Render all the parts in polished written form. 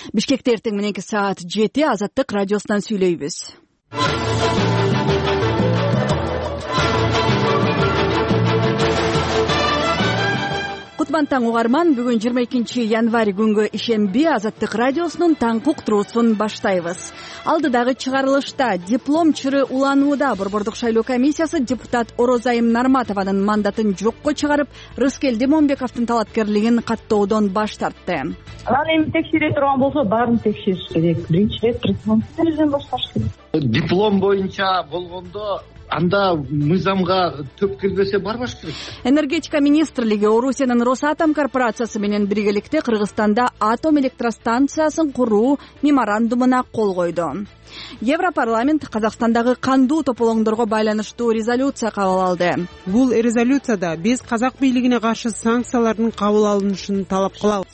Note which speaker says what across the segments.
Speaker 1: Бишкекте эртең мененки саат 7 Азаттык радиосунан сүйлөйбүз. Кутман таң угарман, бүгүн 22 январь күнгө ишемби Азаттык радиосунун таңкы уктуруусун баштайбыз. Алдыдагы чыгарылышта диплом чыры уланууда борбордук шайлоо комиссиясы депутат Орозайым Нарматованын мандатын жокко чыгарып, Рыскелди Момбековдун талапкерлигин каттоодон баш тартты.
Speaker 2: Анан эми текшере турган болсо баарын текшериш керек. Биринчи рет президенттен башташ керек.
Speaker 3: Диплом боюнча болгондо анда мыйзамга төп кирбесе барбаш керек.
Speaker 1: Энергетика министрлиги Орусиянын Росатом корпорациясы менен биргеликте Кыргызстанда атом электростанциясын куруу меморандумуна кол койду. Европарламент Казакстандагы кандуу тополоңдорго байланыштуу резолюция кабыл алды.
Speaker 4: Бул резолюцияда биз казак бийлигине каршы санкциялардын кабыл алынышын талап кылабыз.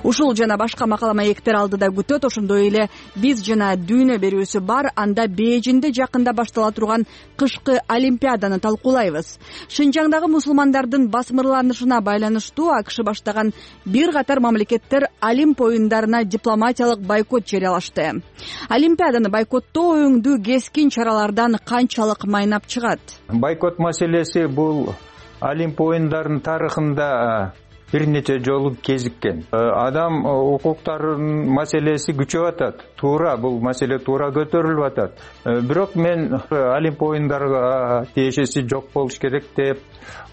Speaker 1: Ушул жана башка макала маектер алдыда күтөт. Ошондой эле биз жана дүйнө берүүсү бар анда Бейжиңде жакында баштала турган кышкы олимпиаданы талкуулайбыз. Шинжаңдагы мусулмандардын басмырланышына байланыштуу АКШ баштаган бир катар мамлекеттер Олимп оюндарына дипломатиялык бойкот жарыялашты. Олимпиаданы бойкоттоо өңдүү кескин чаралардан канчалык майнап чыгат?
Speaker 5: Бойкот маселеси бул Олимп оюндарынын тарыхында бир нече жолу кезиккен. Адам укуктарынын маселеси күчөп атат. Туура, бул маселе туура көтөрүлүп атат. Бирок мен Олимп оюндарга тиешеси жок болуш керек деп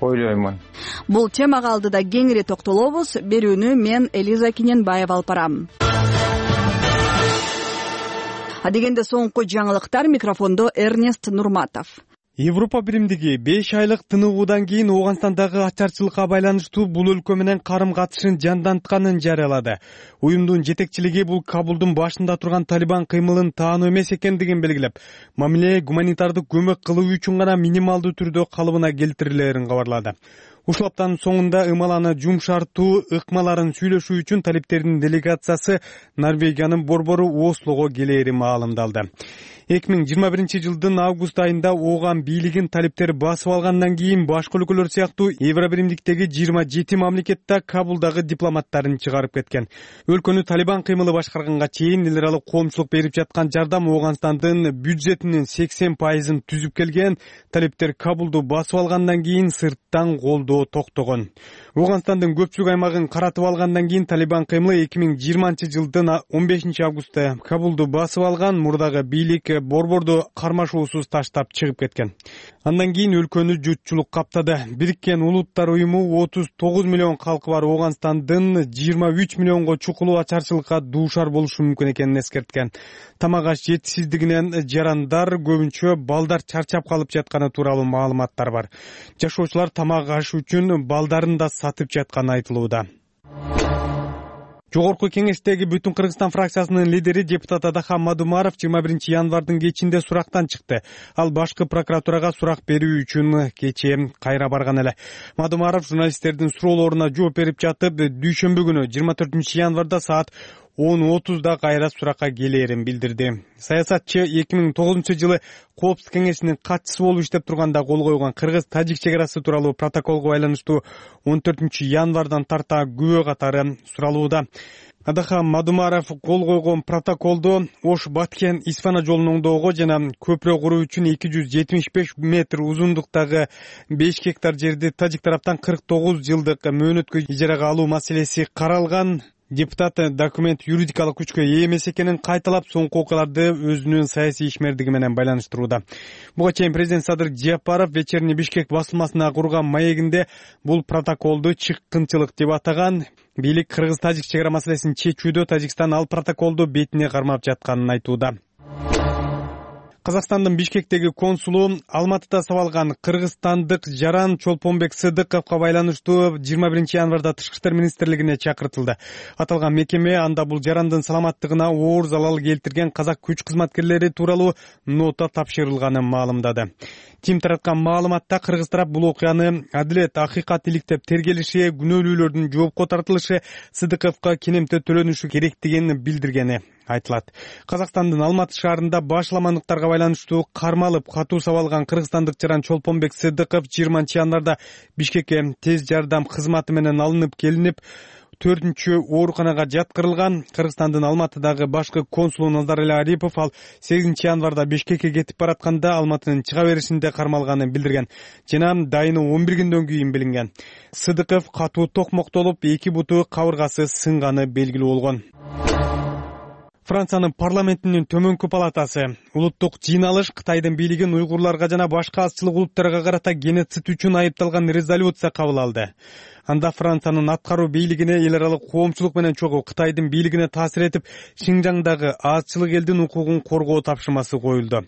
Speaker 5: ойлоймун.
Speaker 1: Бул темага алдыда кеңири токтолобуз. Берүүнү мен Элиза Киненбаева алып барам. Адегенде соңку жаңылыктар, микрофондо Эрнест Нурматов.
Speaker 6: Европа биримдиги 5 айлык тыныгуудан кийин Ооганстандагы ачарчылыкка байланыштуу бул өлкө менен карым-катышын жандантканын жарыялады. Уюмдун жетекчилиги бул Кабулдун башында турган Талибан кыймылын таануу эмес экендигин белгилеп, мамиле гуманитардык көмөк кылуу үчүн гана минималдуу түрдө калыбына келтирилерин кабарлады. Ушул аптанын соңунда ымаланы жумшартуу ыкмаларын сүйлөшүү үчүн талиптердин делегациясы Норвегиянын борбору Ослого келери маалымдалды. 2021 жылдын август айында Ооган бийлигин талиптер басып алгандан кийин башка өлкөлөр сыяктуу Евробиримдиктеги 27 мамлекетте Кабулдагы дипломаттарын чыгарып кеткен. Өлкөнү Талибан кыймылы башкарганга чейин эл аралык коомчулук берип жаткан жардам Ооганстандын бюджетинин 80% түзүп келген. Талиптер Кабулду басып алгандан кийин сырттан колдоо токтогон. Ооганстандын көпчүлүк аймагын каратып алгандан кийин Талибан кыймылы 2020 жылдын 15 августта Кабулду басып алган. Мурдагы бийлик борборду кармашуусуз таштап чыгып кеткен. Андан кийин өлкөнү жутчулук каптады. Бириккен Улуттар уюму 39 миллион калкы бар Ооганстандын 23 миллионго чукулуу ачарчылыкка дуушар болушу мүмкүн экенин эскерткен. Тамак аш жетишсиздигинен жарандар, көбүнчө балдар чарчап калып жатканы тууралуу маалыматтар бар. Жашоочулар тамак аш үчүн балдарын да сатып жатканы айтылууда. Жогорку кеңештеги Бүтүн Кыргызстан фракциясынын лидери депутат Адахан Мадумаров 21 январдын кечинде сурактан чыкты. Ал башкы прокуратурага сурак берүү үчүн кечээ кайра барган эле. Мадумаров журналисттердин суроолоруна жооп берип жатып, дүйшөмбү күнү 24 январда саат 10:30 кайра суракка келерин билдирди. Саясатчы 2009 жылы Коопсуздук кеңешинин катчысы болуп иштеп турганда кол койгон Кыргыз-Тажик чек арасы тууралуу протоколго байланыштуу 14 январдан тарта күбө катары суралууда. Адахан Мадумаров кол койгон протоколду Ош-Баткен Исфана жолунун оңдоого жана көпүрө куруу үчүн 275 метр узундуктагы 5 гектар жерди тажик тараптан 49 жылдык мөөнөткө ижарага алуу маселеси каралган. Депутат документ юридикалык күчкө ээ эмес экенин кайталап, соңку окуяларды өзүнүн саясий ишмердиги менен байланыштырууда. Буга чейин президент Садыр Жапаров Вечерний Бишкек басылмасына курган маегинде бул протоколду чыккынчылык деп атаган. Бийлик Кыргыз-Тажик чек ара маселесин чечүүдө Тажикстан ал протоколду бетине кармап жатканын айтууда. Казакстандын Бишкектеги консулу Алматыда сабалган кыргызстандык жаран Чолпонбек Сыдыковго байланыштуу 21 январда Тышкы иштер министрлигине чакыртылды. Аталган мекеме анда бул жарандын саламаттыгына оор залал келтирген казак күч кызматкерлери тууралуу нота тапшырылганын маалымдады. Тим тараткан маалыматта кыргыз тарап бул окуяны адилет, акыйкат иликтеп тергелиши, күнөөлүүлөрдүн жоопко тартылышы, Сыдыковго кенемте төлөнүшү керектигин билдиргени айтылат. Казакстандын Алматы шаарында башламандыктарга байланыштуу кармалып катуу сабалган кыргызстандык жаран Чолпонбек Сыдыков 20 январда Бишкекке тез жардам кызматы менен алынып келинип, 4-чү ооруканага жаткырылган. Кыргызстандын Алматыдагы башкы консулу Назарали Арипов ал 8 январда Бишкекке кетип баратканда Алматынын чыга беришинде кармалганын билдирген жана дайыны 11 күндөн кийин билинген. Сыдыков катуу токмоктолуп, 2 буту кабыргасы сынганы белгилүү болгон. Франциянын парламентинин төмөнкү палатасы улуттук жыйналыш Кытайдын бийлигин уйгурларга жана башка азчылык улуттарга карата геноцид үчүн айыпталган резолюция кабыл алды. Анда Франциянын аткаруу бийлигине эл аралык коомчулук менен чогуу Кытайдын бийлигине таасир этип, Шинжаңдагы азчылык элдин укугун коргоо тапшырмасы коюлду.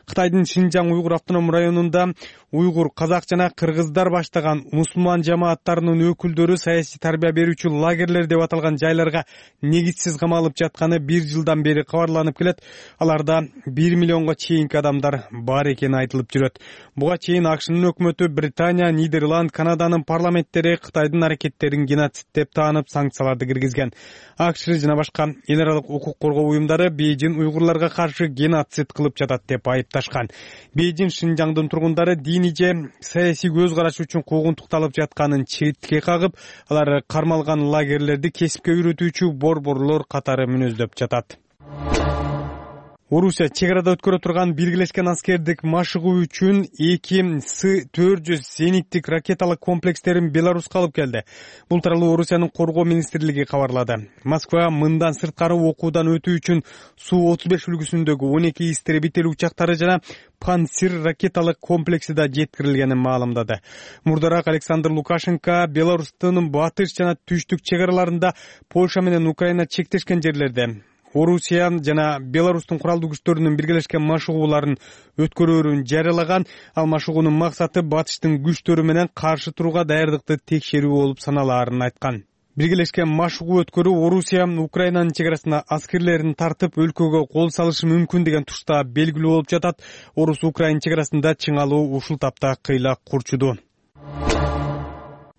Speaker 6: Кытайдын Шинжаң уйгур автоном районунда уйгур, казак жана кыргыздар баштаган мусулман жамааттарынын өкүлдөрү саясий тарбия берүүчү лагерлер деп аталган жайларга негизсиз камалып жатканы 1 жылдан бери кабарланып келет. Аларда 1 миллионго чейинки адамдар бар экени айтылып жүрөт. Буга чейин АКШнын өкмөтү Британия, Нидерланд, Канаданын парламенттери Кытайдын аракеттерин геноцид деп таанып, санкцияларды киргизген. АКШ жана башка эл аралык укук коргоо уюмдары Бейжин уйгурларга каршы геноцид кылып жатат деп айыпташкан. Бейжин Шинжаңдын тургундары диний же саясий көз караш үчүн куугунтукталып жатканын четке кагып, алар кармалган лагерлерди кесипке үйрөтүүчү борборлор катары мүнөздөп жатат. Орусия чек арада өткөрө турган биргелешкен аскердик машыгуу үчүн 2 С-400 зениттик ракеталык комплекстерин Беларуска алып келди. Бул тууралуу Орусиянын коргоо министрлиги кабарлады. Москва мындан сырткары окуудан өтүү үчүн Су-35 үлгүсүндөгү 12 истребитель учактары жана Панцир ракеталык комплекси да жеткирилгенин маалымдады. Мурдараак Александр Лукашенко Беларустун батыш жана түштүк чек араларында Польша менен Украина чектешкен жерлерде Орусия жана Беларустун куралдуу күчтөрүнүн биргелешкен машыгууларын өткөрөөрүн жарыялаган. Ал машыгуунун максаты батыштын күчтөрү менен каршы турууга даярдыкты текшерүү болуп саналаарын айткан. Биргелешкен машыгуу өткөрүү Орусия Украинанын чек арасына аскерлерин тартып, өлкөгө кол салышы мүмкүн деген тушта белгилүү болуп жатат. Орус-Украин чек арасында чыңалуу ушул тапта кыйла курчуду.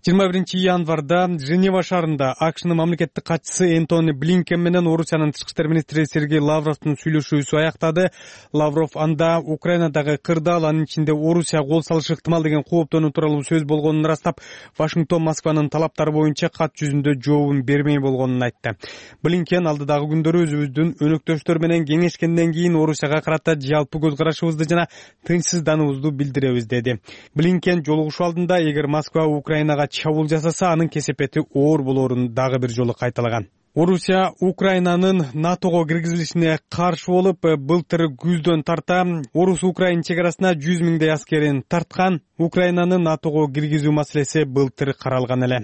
Speaker 6: 21 январда Женева шаарында АКШнын мамлекеттик катчысы Энтони Блинкен менен Орусиянын тышкы иштер министри Сергей Лавровдун сүйлөшүүсү аяктады. Лавров анда Украинадагы кырдаал, анын ичинде Орусия кол салышы ыктымал деген кооптонуу тууралуу сөз болгонун ырастап, Вашингтон Москванын талаптары боюнча кат жүзүндө жообун бермей болгонун айтты. Блинкен алдыдагы күндөрү өзүбүздүн өнөктөштөр менен кеңешкенден кийин Орусияга карата жалпы көз карашыбызды жана тынчсыздануубузду билдиребиз деди. Блинкен жолугушуу алдында эгер Москва Украинага чабуул жасаса, анын кесепети оор болоорун дагы бир жолу кайталаган. Орусия Украинанын НАТОго киргизилишине каршы болуп, былтыр күздөн тарта Орус-Украин чек арасына 100 миңдей аскерин тарткан. Украинаны НАТОго киргизүү маселеси былтыр каралган эле.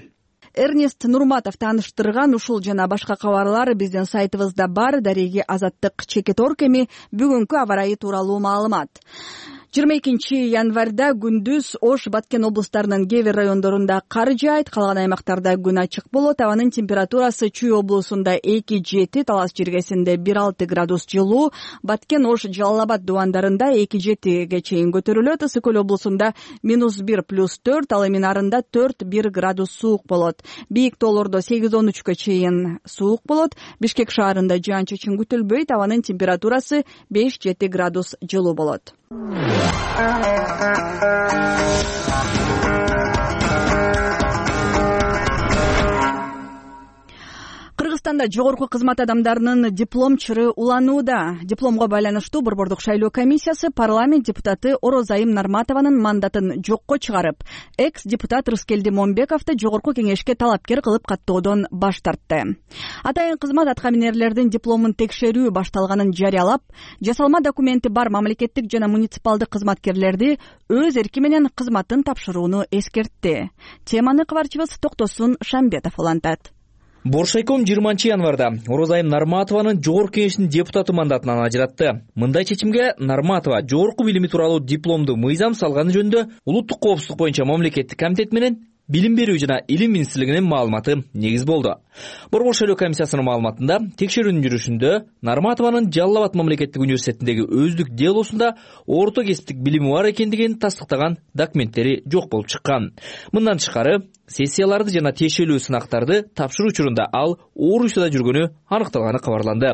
Speaker 1: Эрнест Нурматов тааныштырган ушул жана башка кабарлар биздин сайтыбызда бар. Дареги Азаттык Чекет эми бүгүнкү аба ырайы тууралуу маалымат. 22 январда күндүз Ош, Баткен облустарынын кээ бир райондорунда кар жаайт, калган аймактарда күн ачык болот. Абанын температурасы Чүй облусунда 2-7, Талас жергесинде 1-6 градус жылуу, Баткен, Ош, Жалал Абад дубандарында 2-7ге чейин көтөрүлөт. Ысык Көл облусунда -1+4, ал эми Нарында 4-1 градус суук болот. Бийик тоолордо 8-13ке чейин суук болот. Бишкек шаарында жаан-чачын күтүлбөйт, абанын температурасы 5-7 градус жылуу болот. Кыргызстанда жогорку кызмат адамдарынын диплом чыры уланууда. Дипломго байланыштуу борбордук шайлоо комиссиясы парламент депутаты Орозайым Нарматованын мандатын жокко чыгарып, экс-депутат Рыскелди Момбековду жогорку кеңешке талапкер кылып каттоодон баш тартты. Атайын кызмат аткаминерлердин дипломун текшерүү башталганын жарыялап, жасалма документи бар мамлекеттик жана муниципалдык кызматкерлерди өз эрки менен кызматын тапшырууну эскертти. Теманы кабарчыбыз Токтосун Шамбетов улантат.
Speaker 7: Боршайком 20 январда Орозайым Нарматованын жогорку кеңештин депутаты мандатынан ажыратты. Мындай чечимге Нарматова жогорку билими тууралуу дипломду мыйзам салганы жөнүндө улуттук коопсуздук боюнча мамлекеттик комитет менен Билим берүү жана илим министрлигинин маалыматы негиз болду. Борбор шайлоо комиссиясынын маалыматында текшерүүнүн жүрүшүндө Нарматованын Жалал Абад мамлекеттик университетиндеги өздүк делосунда орто кесиптик билими бар экендигин тастыктаган документтери жок болуп чыккан. Мындан тышкары сессияларды жана тиешелүү сынактарды тапшыруу учурунда ал Орусияда жүргөнү аныкталганы кабарланды.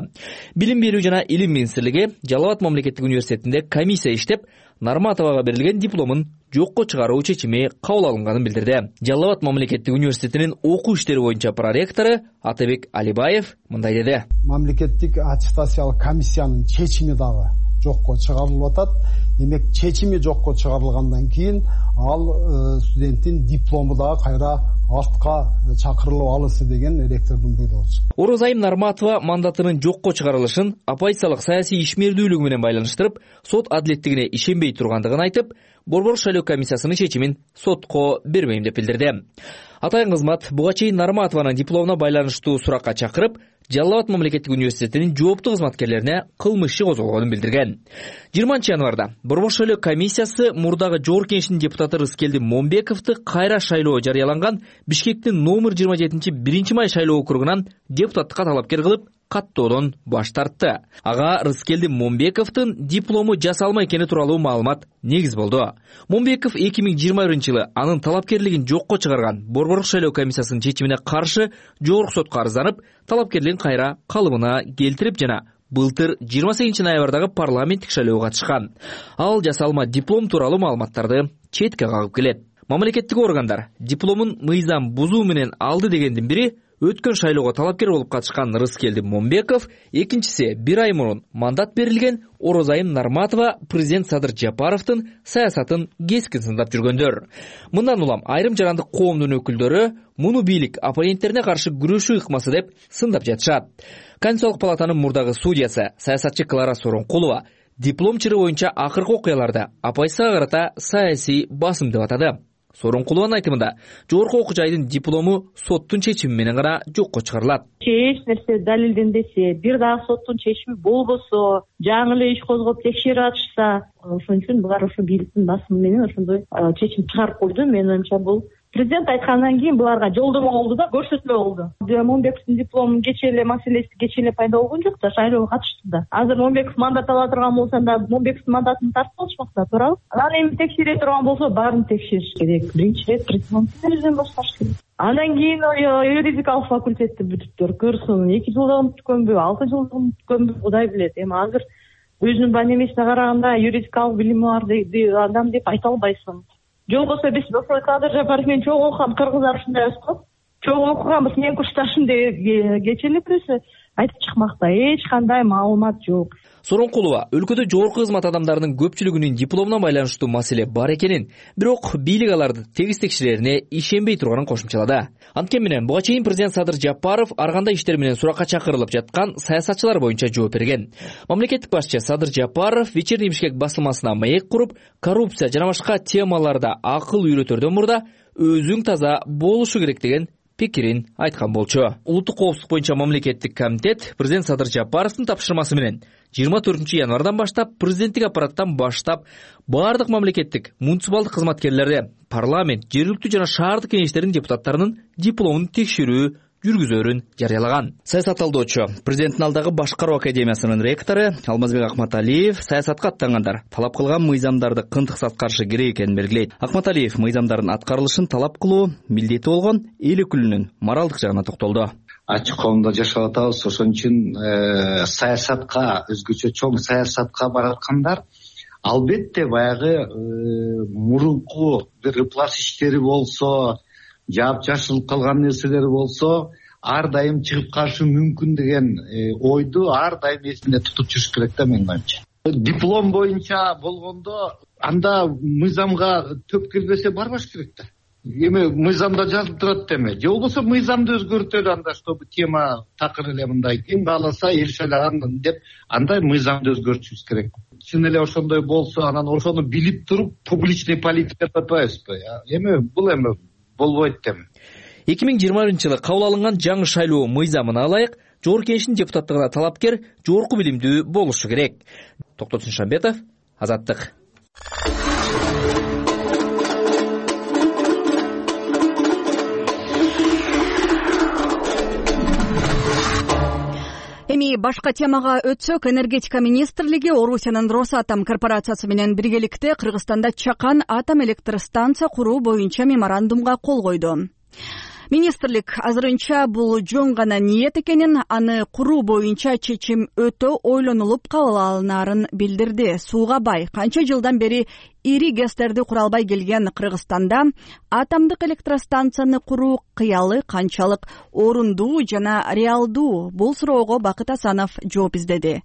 Speaker 7: Билим берүү жана илим министрлиги Жалал Абад мамлекеттик университетинде комиссия иштеп, Нарматовага берилген дипломун жокко чыгаруу чечими кабыл алынганын билдирди. Жалал Абад мамлекеттик университетинин окуу иштери боюнча проректору Атабек Алибаев мындай деди.
Speaker 8: Мамлекеттик аттестациялык комиссиянын чечими дагы жокко чыгарылып атат. Демек чечими жокко чыгарылгандан кийин ал студенттин диплому дагы кайра артка чакырылып алынсы деген ректордун буйругу.
Speaker 7: Орозайым Нарматова мандатынын жокко чыгарылышын оппозициялык саясий ишмердүүлүгү менен байланыштырып, сот адилеттигине ишенбей тургандыгын айтып, Борбор шайлоо комиссиясынын чечимин сотко бербейм деп билдирди. Атайын кызмат буга чейин Нарматованын дипломуна байланыштуу суракка чакырып, Жалал Абад мамлекеттик университетинин жооптуу кызматкерлерине кылмыш иши козголгонун билдирген. 20 январда Борбор шайлоо комиссиясы мурдагы Жогорку Кеңештин депутаты Рыскелди Момбековду кайра шайлоо жарыяланган Бишкектин номер 27 1 май шайлоо округунан депутаттыкка талапкер кылып, каттоодон баш тартты. Ага Рыскелди Момбековдун диплому жасалма экени тууралуу маалымат негиз болду. Момбеков 2020-жылы анын талапкерлигин жокко чыгарган Борбор шайлоо комиссиясынын чечимине каршы жогорку сотко арызданып, талапкерлигин кайра калыбына келтирип жана былтыр 28 ноябрдагы парламенттик шайлоого катышкан. Ал жасалма диплом тууралуу маалыматтарды четке кагып келет. Мамлекеттик органдар дипломун мыйзам бузуу менен алды дегендин бири өткөн шайлоого талапкер болуп катышкан Рыскелди Момбеков, экинчиси 1 ай мурун мандат берилген Орозайым Нарматова президент Садыр Жапаровдун саясатын кескин сындап жүргөндөр. Мындан улам айрым жарандык коомдун өкүлдөрү муну бийлик оппоненттерине каршы күрөшүү ыкмасы деп сындап жатышат. Конституциялык палатанын мурдагы судьясы саясатчы Клара Соронкулова диплом чыры боюнча акыркы окуяларды оппозицияга карата саясий басым деп атады. Соронкулованын айтымында, жогорку окуу жайдын диплому соттун чечими менен гана жокко чыгарылат.
Speaker 2: Эч нерсе далилденбесе, бир дагы соттун чечими болбосо, жаңы эле иш козгоп текшерип атышса, ошон үчүн булар ошо бийликтин басымы менен ошондой чечим чыгарып койду. Менин оюмча бул президент айткандан кийин буларга жолдомо болду да, көрсөтмө болду. Момбековдун дипломунун кечээ эле маселеси кечээ эле пайда болгон жок да, шайлоого катышты да. Азыр Момбеков мандат ала турган болсо да, Момбековдун мандатын тартып алышмак да, туурабы? Анан эми текшере турган болсо, баарын текшериш керек. Биринчи ирет президенттин өзүнөн башташ керек. Андан кийин юридикалык факультетти бүтүптөр көрсүн, 2 жылда бүткөнбү, 6 жылда бүткөнбү, Кудай билет. Эми азыр өзүнүн баемесине караганда юридикалык билими бар адам деп айта албайсың. Жок болсо биз Садыр Жапаров менен чоң окуган кыргыздар ушундай эмес го. Чоң окуганбыз, менин курсташым деп кечээ эле бирөөсү айтып чыкмакта эч кандай маалымат жок.
Speaker 7: Соронкулова өлкөдө жогорку кызмат адамдарынын көпчүлүгүнүн дипломуна байланыштуу маселе бар экенин, бирок бийлик аларды тегиз текшерерине ишенбей турганын кошумчалады. Анткени менен буга чейин президент Садыр Жапаров ар кандай иштер менен суракка чакырылып жаткан саясатчылар боюнча жооп берген. Мамлекеттик башчы Садыр Жапаров Вечерний Бишкек басылмасына маек куруп, коррупция жана башка темаларда акыл үйрөтөрдөн мурда өзүң таза болушу керек деген пикирин айткан болчу. Улуттук коопсуздук боюнча мамлекеттик комитет президент Садыр Жапаровдун тапшырмасы менен 24 январдан баштап президенттик аппараттан баштап баардык мамлекеттик муниципалдык кызматкерлерди, парламент, жергиликтүү жана шаардык кеңештердин депутаттарынын дипломун текшерүү жүргүзөрүн жарыялаган. Саясат талдоочу, президенттин алдагы башкаруу академиясынын ректору Алмазбек Акматалиев саясатка аттангандар талап кылган мыйзамдарды кынтыксыз аткарышы керек экенин белгилейт. Акматалиев мыйзамдардын аткарылышын талап кылуу милдети болгон эл өкүлүнүн моралдык жагына токтолду.
Speaker 3: Ачык коомдо жашап атабыз, ошон үчүн саясатка, өзгөчө чоң саясатка бараткандар албетте баягы мурунку бир ыплас иштери болсо, жашылып калган нерселер болсо, ар дайым чыгып калышы мүмкүн деген ойду ар дайым эсинде тутуп жүрүш керек да, менин оюмча. Диплом боюнча болгондо анда мыйзамга төп келбесе барбаш керек да. Эми мыйзамда жазылып турат деме. Же болбосо мыйзамды өзгөртөлү анда, чтобы тема такыр эле мындай ким кааласа эл шайлаган деп андай мыйзамды өзгөртүшүбүз керек. Чын эле ошондой болсо, анан ошону билип туруп публичный политика деп атпайбызбы? Эми бул эми болбойт дем.
Speaker 7: 2020-жылы кабыл алынган жаңы шайлоо мыйзамына ылайык Жогорку Кеңештин депутаттыгына талапкер жогорку билимдүү болушу керек. Токтот Сыншамбетов, Азаттык.
Speaker 1: Эми башка темага өтсөк, энергетика министрлиги Орусиянын Росатом корпорациясы менен биргеликте Кыргызстанда Чакан атом электр станция куруу боюнча меморандумга кол койду. Министрлик азырынча бул жөн гана ниет экенин, аны куруу боюнча чечим өтө ойлонулуп кабыл алынарын билдирди. Сууга бай канча жылдан бери ири гэстерди кура албай келген Кыргызстанда атомдук электростанцияны куруу кыялы канчалык орундуу жана реалдуу? Бул суроого Бакыт Асанов жооп издеди.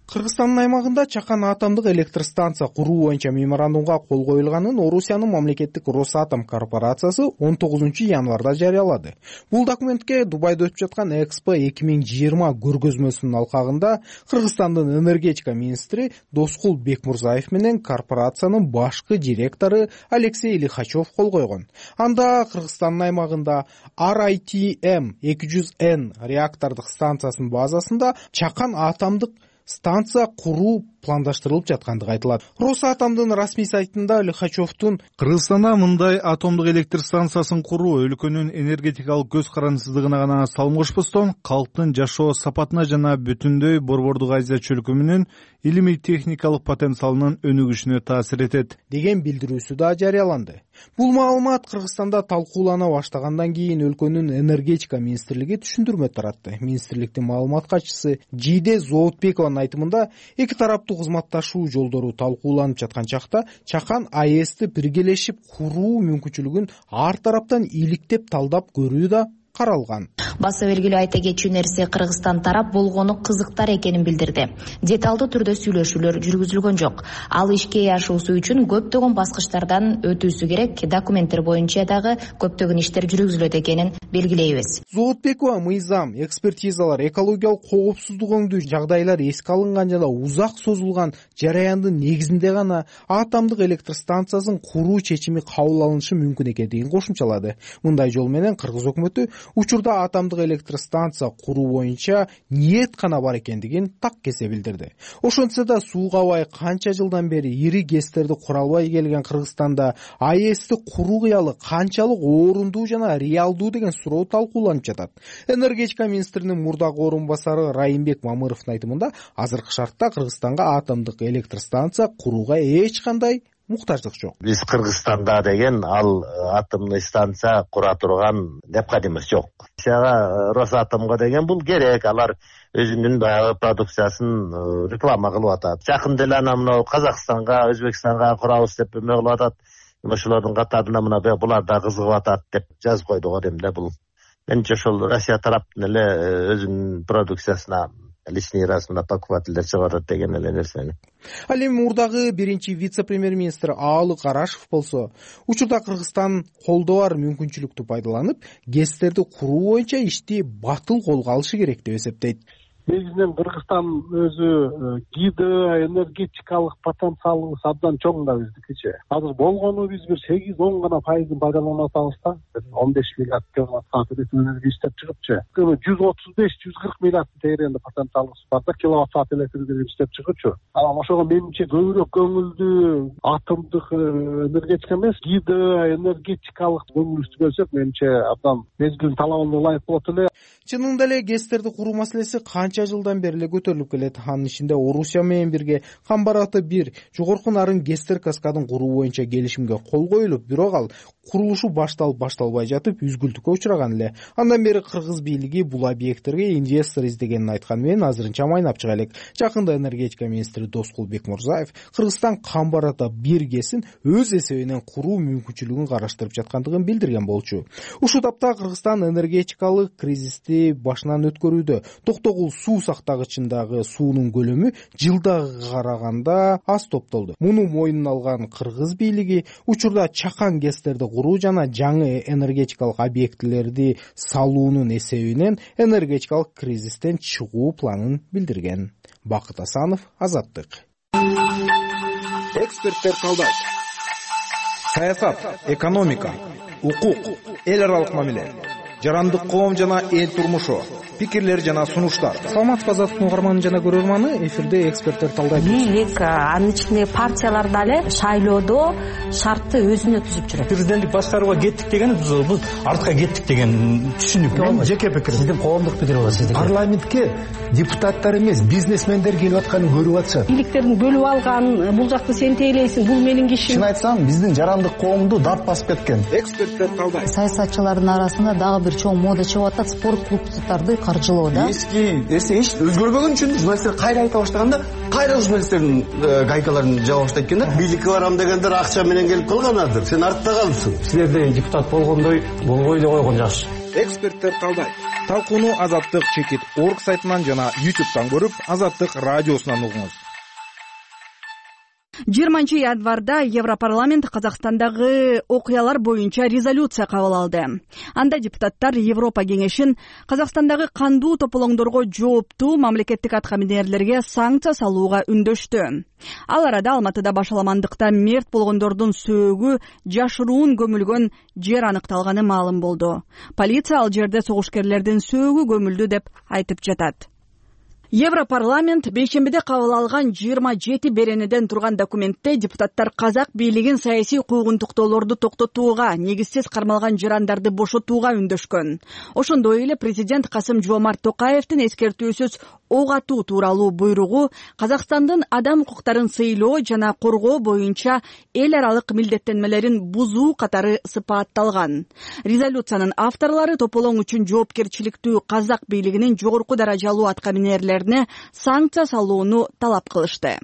Speaker 9: Кыргызстандын аймагында чакан атомдук электростанция куруу боюнча меморандумга кол коюлганын Орусиянын мамлекеттик Росатом корпорациясы 19 январда жарыялады. Бул документке Дубайда өтүп жаткан Экспо 2020 көргөзмөсүнүн алкагында Кыргызстандын энергетика министри Доскул Бекмурзаев менен корпорациянын башкы директору Алексей Лихачев кол койгон. Анда Кыргызстандын аймагында RITM 200N реактордук станциясынын базасында чакан атомдук станция куруу пландаштырылып жаткандыгы айтылат. Росатомдун расмий сайтында Лихачевдун
Speaker 10: Кыргызстанда мындай атомдук электр станциясын куруу өлкөнүн энергетикалык көз карандысыздыгына гана салым кошпостон, калктын жашоо сапатына жана бүтүндөй Борбордук Азия чөлкөмүнүн илимий техникалык потенциалынын өнүгүшүнө таасир этет
Speaker 9: деген билдирүүсү да жарыяланды. Бул маалымат Кыргызстанда талкуулана баштагандан кийин өлкөнүн энергетика министрлиги түшүндүрмө таратты. Министрликтин маалымат катчысы Жийде Зоотбекованын айтымында, эки тараптуу кызматташуу жолдору талкууланып жаткан чакта чакан АЭСти биргелешип куруу мүмкүнчүлүгүн ар тараптан иликтеп талдап көрүү да каралган.
Speaker 11: Баса белгилүү айта кетчү нерсе, Кыргызстан тарап болгону кызыктар экенин билдирди. Деталдуу түрдө сүйлөшүүлөр жүргүзүлгөн жок. Ал ишке ашуусу үчүн көптөгөн баскычтардан өтүүсү керек, документтер боюнча дагы көптөгөн иштер жүргүзүлөт экенин белгилейбиз.
Speaker 9: Зоотбекова мыйзам, экспертизалар, экологиялык коопсуздук өңдүү жагдайлар эске алынган жана узак созулган жараяндын негизинде гана атомдук электростанциясын куруу чечими кабыл алынышы мүмкүн экендигин кошумчалады. Мындай жол менен Кыргыз өкмөтү учурда атомдук электростанция куруу боюнча ниет гана бар экендигин так кесе билдирди. Ошентсе да сууга бай канча жылдан бери ири гэстерди кура албай келген Кыргызстанда АЭСти куруу кыялы канчалык орундуу жана реалдуу деген суроо талкууланып жатат. Энергетика министринин мурдагы орун басары Райымбек Мамыровдун айтымында, азыркы шартта Кыргызстанга атомдук электростанция курууга эч кандай муктаждык жок.
Speaker 12: Биз Кыргызстанда деген ал атомный станция кура турган необходимость жок. Росатомго деген бул керек, алар өзүнүн баягы продукциясын реклама кылып атат. Жакында эле мына Казакстанга, Өзбекстанга курабыз деп эме кылып атат. Ошолордун катарына мына булар да кызыгып атат деп жазып койду го дейм да. Бул менимче ошол Россия тараптын эле өзүнүн продукциясына лишний раз мына покупательдер чыгарат деген эле нерсени.
Speaker 9: Ал эми мурдагы биринчи вице-премьер-министр Аалы Карашев болсо, учурда Кыргызстан колдо бар мүмкүнчүлүктү пайдаланып, гэстерди куруу боюнча ишти батыл колго алышы керек деп эсептейт.
Speaker 13: Негизинен Кыргызстан өзү гидроэнергетикалык потенциалыбыз абдан чоң да биздикичи. Азыр болгону биз бир 8-10 гана пайызын пайдаланып атабыз да. 15 миллиард киловатт-саат энергия иштеп чыгыпчы. 135-140 миллиард тегерегинде потенциалыбыз бар да, киловатт-саат энергия иштеп чыгычу. Ошого менимче көбүрөөк көңүлдү атомдук энергетика эмес, гидроэнергетикалык көңүлдү бөлсөк, менимче абдан мезгилин талабына ылайык болот эле.
Speaker 9: Чынында эле гэстерди куруу маселеси канча жылдан бери эле көтөрүлүп келет. Анын ичинде Орусия менен бирге Камбараты 1 жогорку нарын гэстер каскадын куруу боюнча келишимге кол коюлуп, бирок ал курулушу башталбай жатып үзгүлтүккө учураган эле. Андан бери Кыргыз бийлиги бул объекттерге инвестор издегенин айткан менен азырынча майнап чыга элек. Жакында энергетика министри Доскул Бекмурзаев Кыргызстан Камбарата 1 гэсин өз эсебинен куруу мүмкүнчүлүгүн караштырып жаткандыгын билдирген болчу. Ушул тапта Кыргызстан энергетикалык кризисти башынан өткөрүүдө. Токтогул суу сактагычындагы суунун көлөмү жылдагыга караганда аз топтолду. Муну мойнуна алган Кыргыз бийлиги учурда чакан гэстерди куруу жана жаңы энергетикалык объектилерди салуунун эсебинен энергетикалык кризистен чыгуу планын билдирген. Бакыт Асанов, Азаттык.
Speaker 14: Эксперттер талдайт. Саясат, экономика, укук, эл аралык мамиле, жарандык коом жана эл турмушу, пикирлер жана сунуштар.
Speaker 9: саламатсызбы Азаттыктын угарманы жана көрөрманы, эфирде эксперттер талдайт.
Speaker 15: Бийлик анын ичинде партиялар дагы шайлоодо шартты өзүнө түзүп жүрөт.
Speaker 16: Президенттик башкарууга кеттик деген биз артка кеттик деген түшүнүк.
Speaker 17: Мен жеке пикирим. Сиздин коомдук пикири бар сиздин. Парламентке депутаттар эмес, бизнесмендер келип атканын көрүп атышат.
Speaker 15: Бийликтердин бөлүп алган, бул жакты сен тейлейсиң, бул менин кишим.
Speaker 17: Чын айтсам, биздин жарандык коомду дат басып кеткен.
Speaker 14: Эксперттер талдайт.
Speaker 18: Саясатчылардын арасында дагы бир чоң мода чыгып атат, спорт клубдарды каржылоо да.
Speaker 17: Эски нерсе эч өзгөрбөгөн үчүн журналисттер кайра айта баштаганда, кайра журналисттердин гайкаларын жаба баштайт экен да.
Speaker 12: Бийликке барам дегендер акча менен келип калганадыр. Сен артта калыпсың.
Speaker 16: Силерде депутат болгондой болбой эле койгон жакшы.
Speaker 14: Эксперттер талдайт. Талкууну Азаттык чекит орг сайтынан жана YouTube'дан көрүп, Азаттык радиосунан угуңуз.
Speaker 1: 20 январда Европарламент Казакстандагы окуялар боюнча резолюция кабыл алды. Анда депутаттар Европа кеңешин Казакстандагы кандуу тополоңдорго жооптуу мамлекеттик аткаминерлерге санкция салууга үндөштү. Ал арада Алматыда башаламандыкта мерт болгондордун сөөгү жашыруун көмүлгөн жер аныкталганы маалым болду. Полиция ал жерде согушкерлердин сөөгү көмүлдү деп айтып жатат. Европарламент бейшембиде кабыл алган 27 беренеден турган документте депутаттар казак бийлигин саясий куугунтуктоолорду токтотууга, негизсиз кармалган жарандарды бошотууга үндөшкөн. Ошондой эле президент Касым-Жомарт Токаевдин эскертүүсүз ок атуу тууралуу буйругу Казакстандын адам укуктарын сыйлоо жана коргоо боюнча эл аралык милдеттенмелерин бузуу катары сыпатталган. Резолюциянын авторлору тополоң үчүн жоопкерчиликтүү казак бийлигинин жогорку даражалуу аткаминерлери санкция салууну талап кылышты.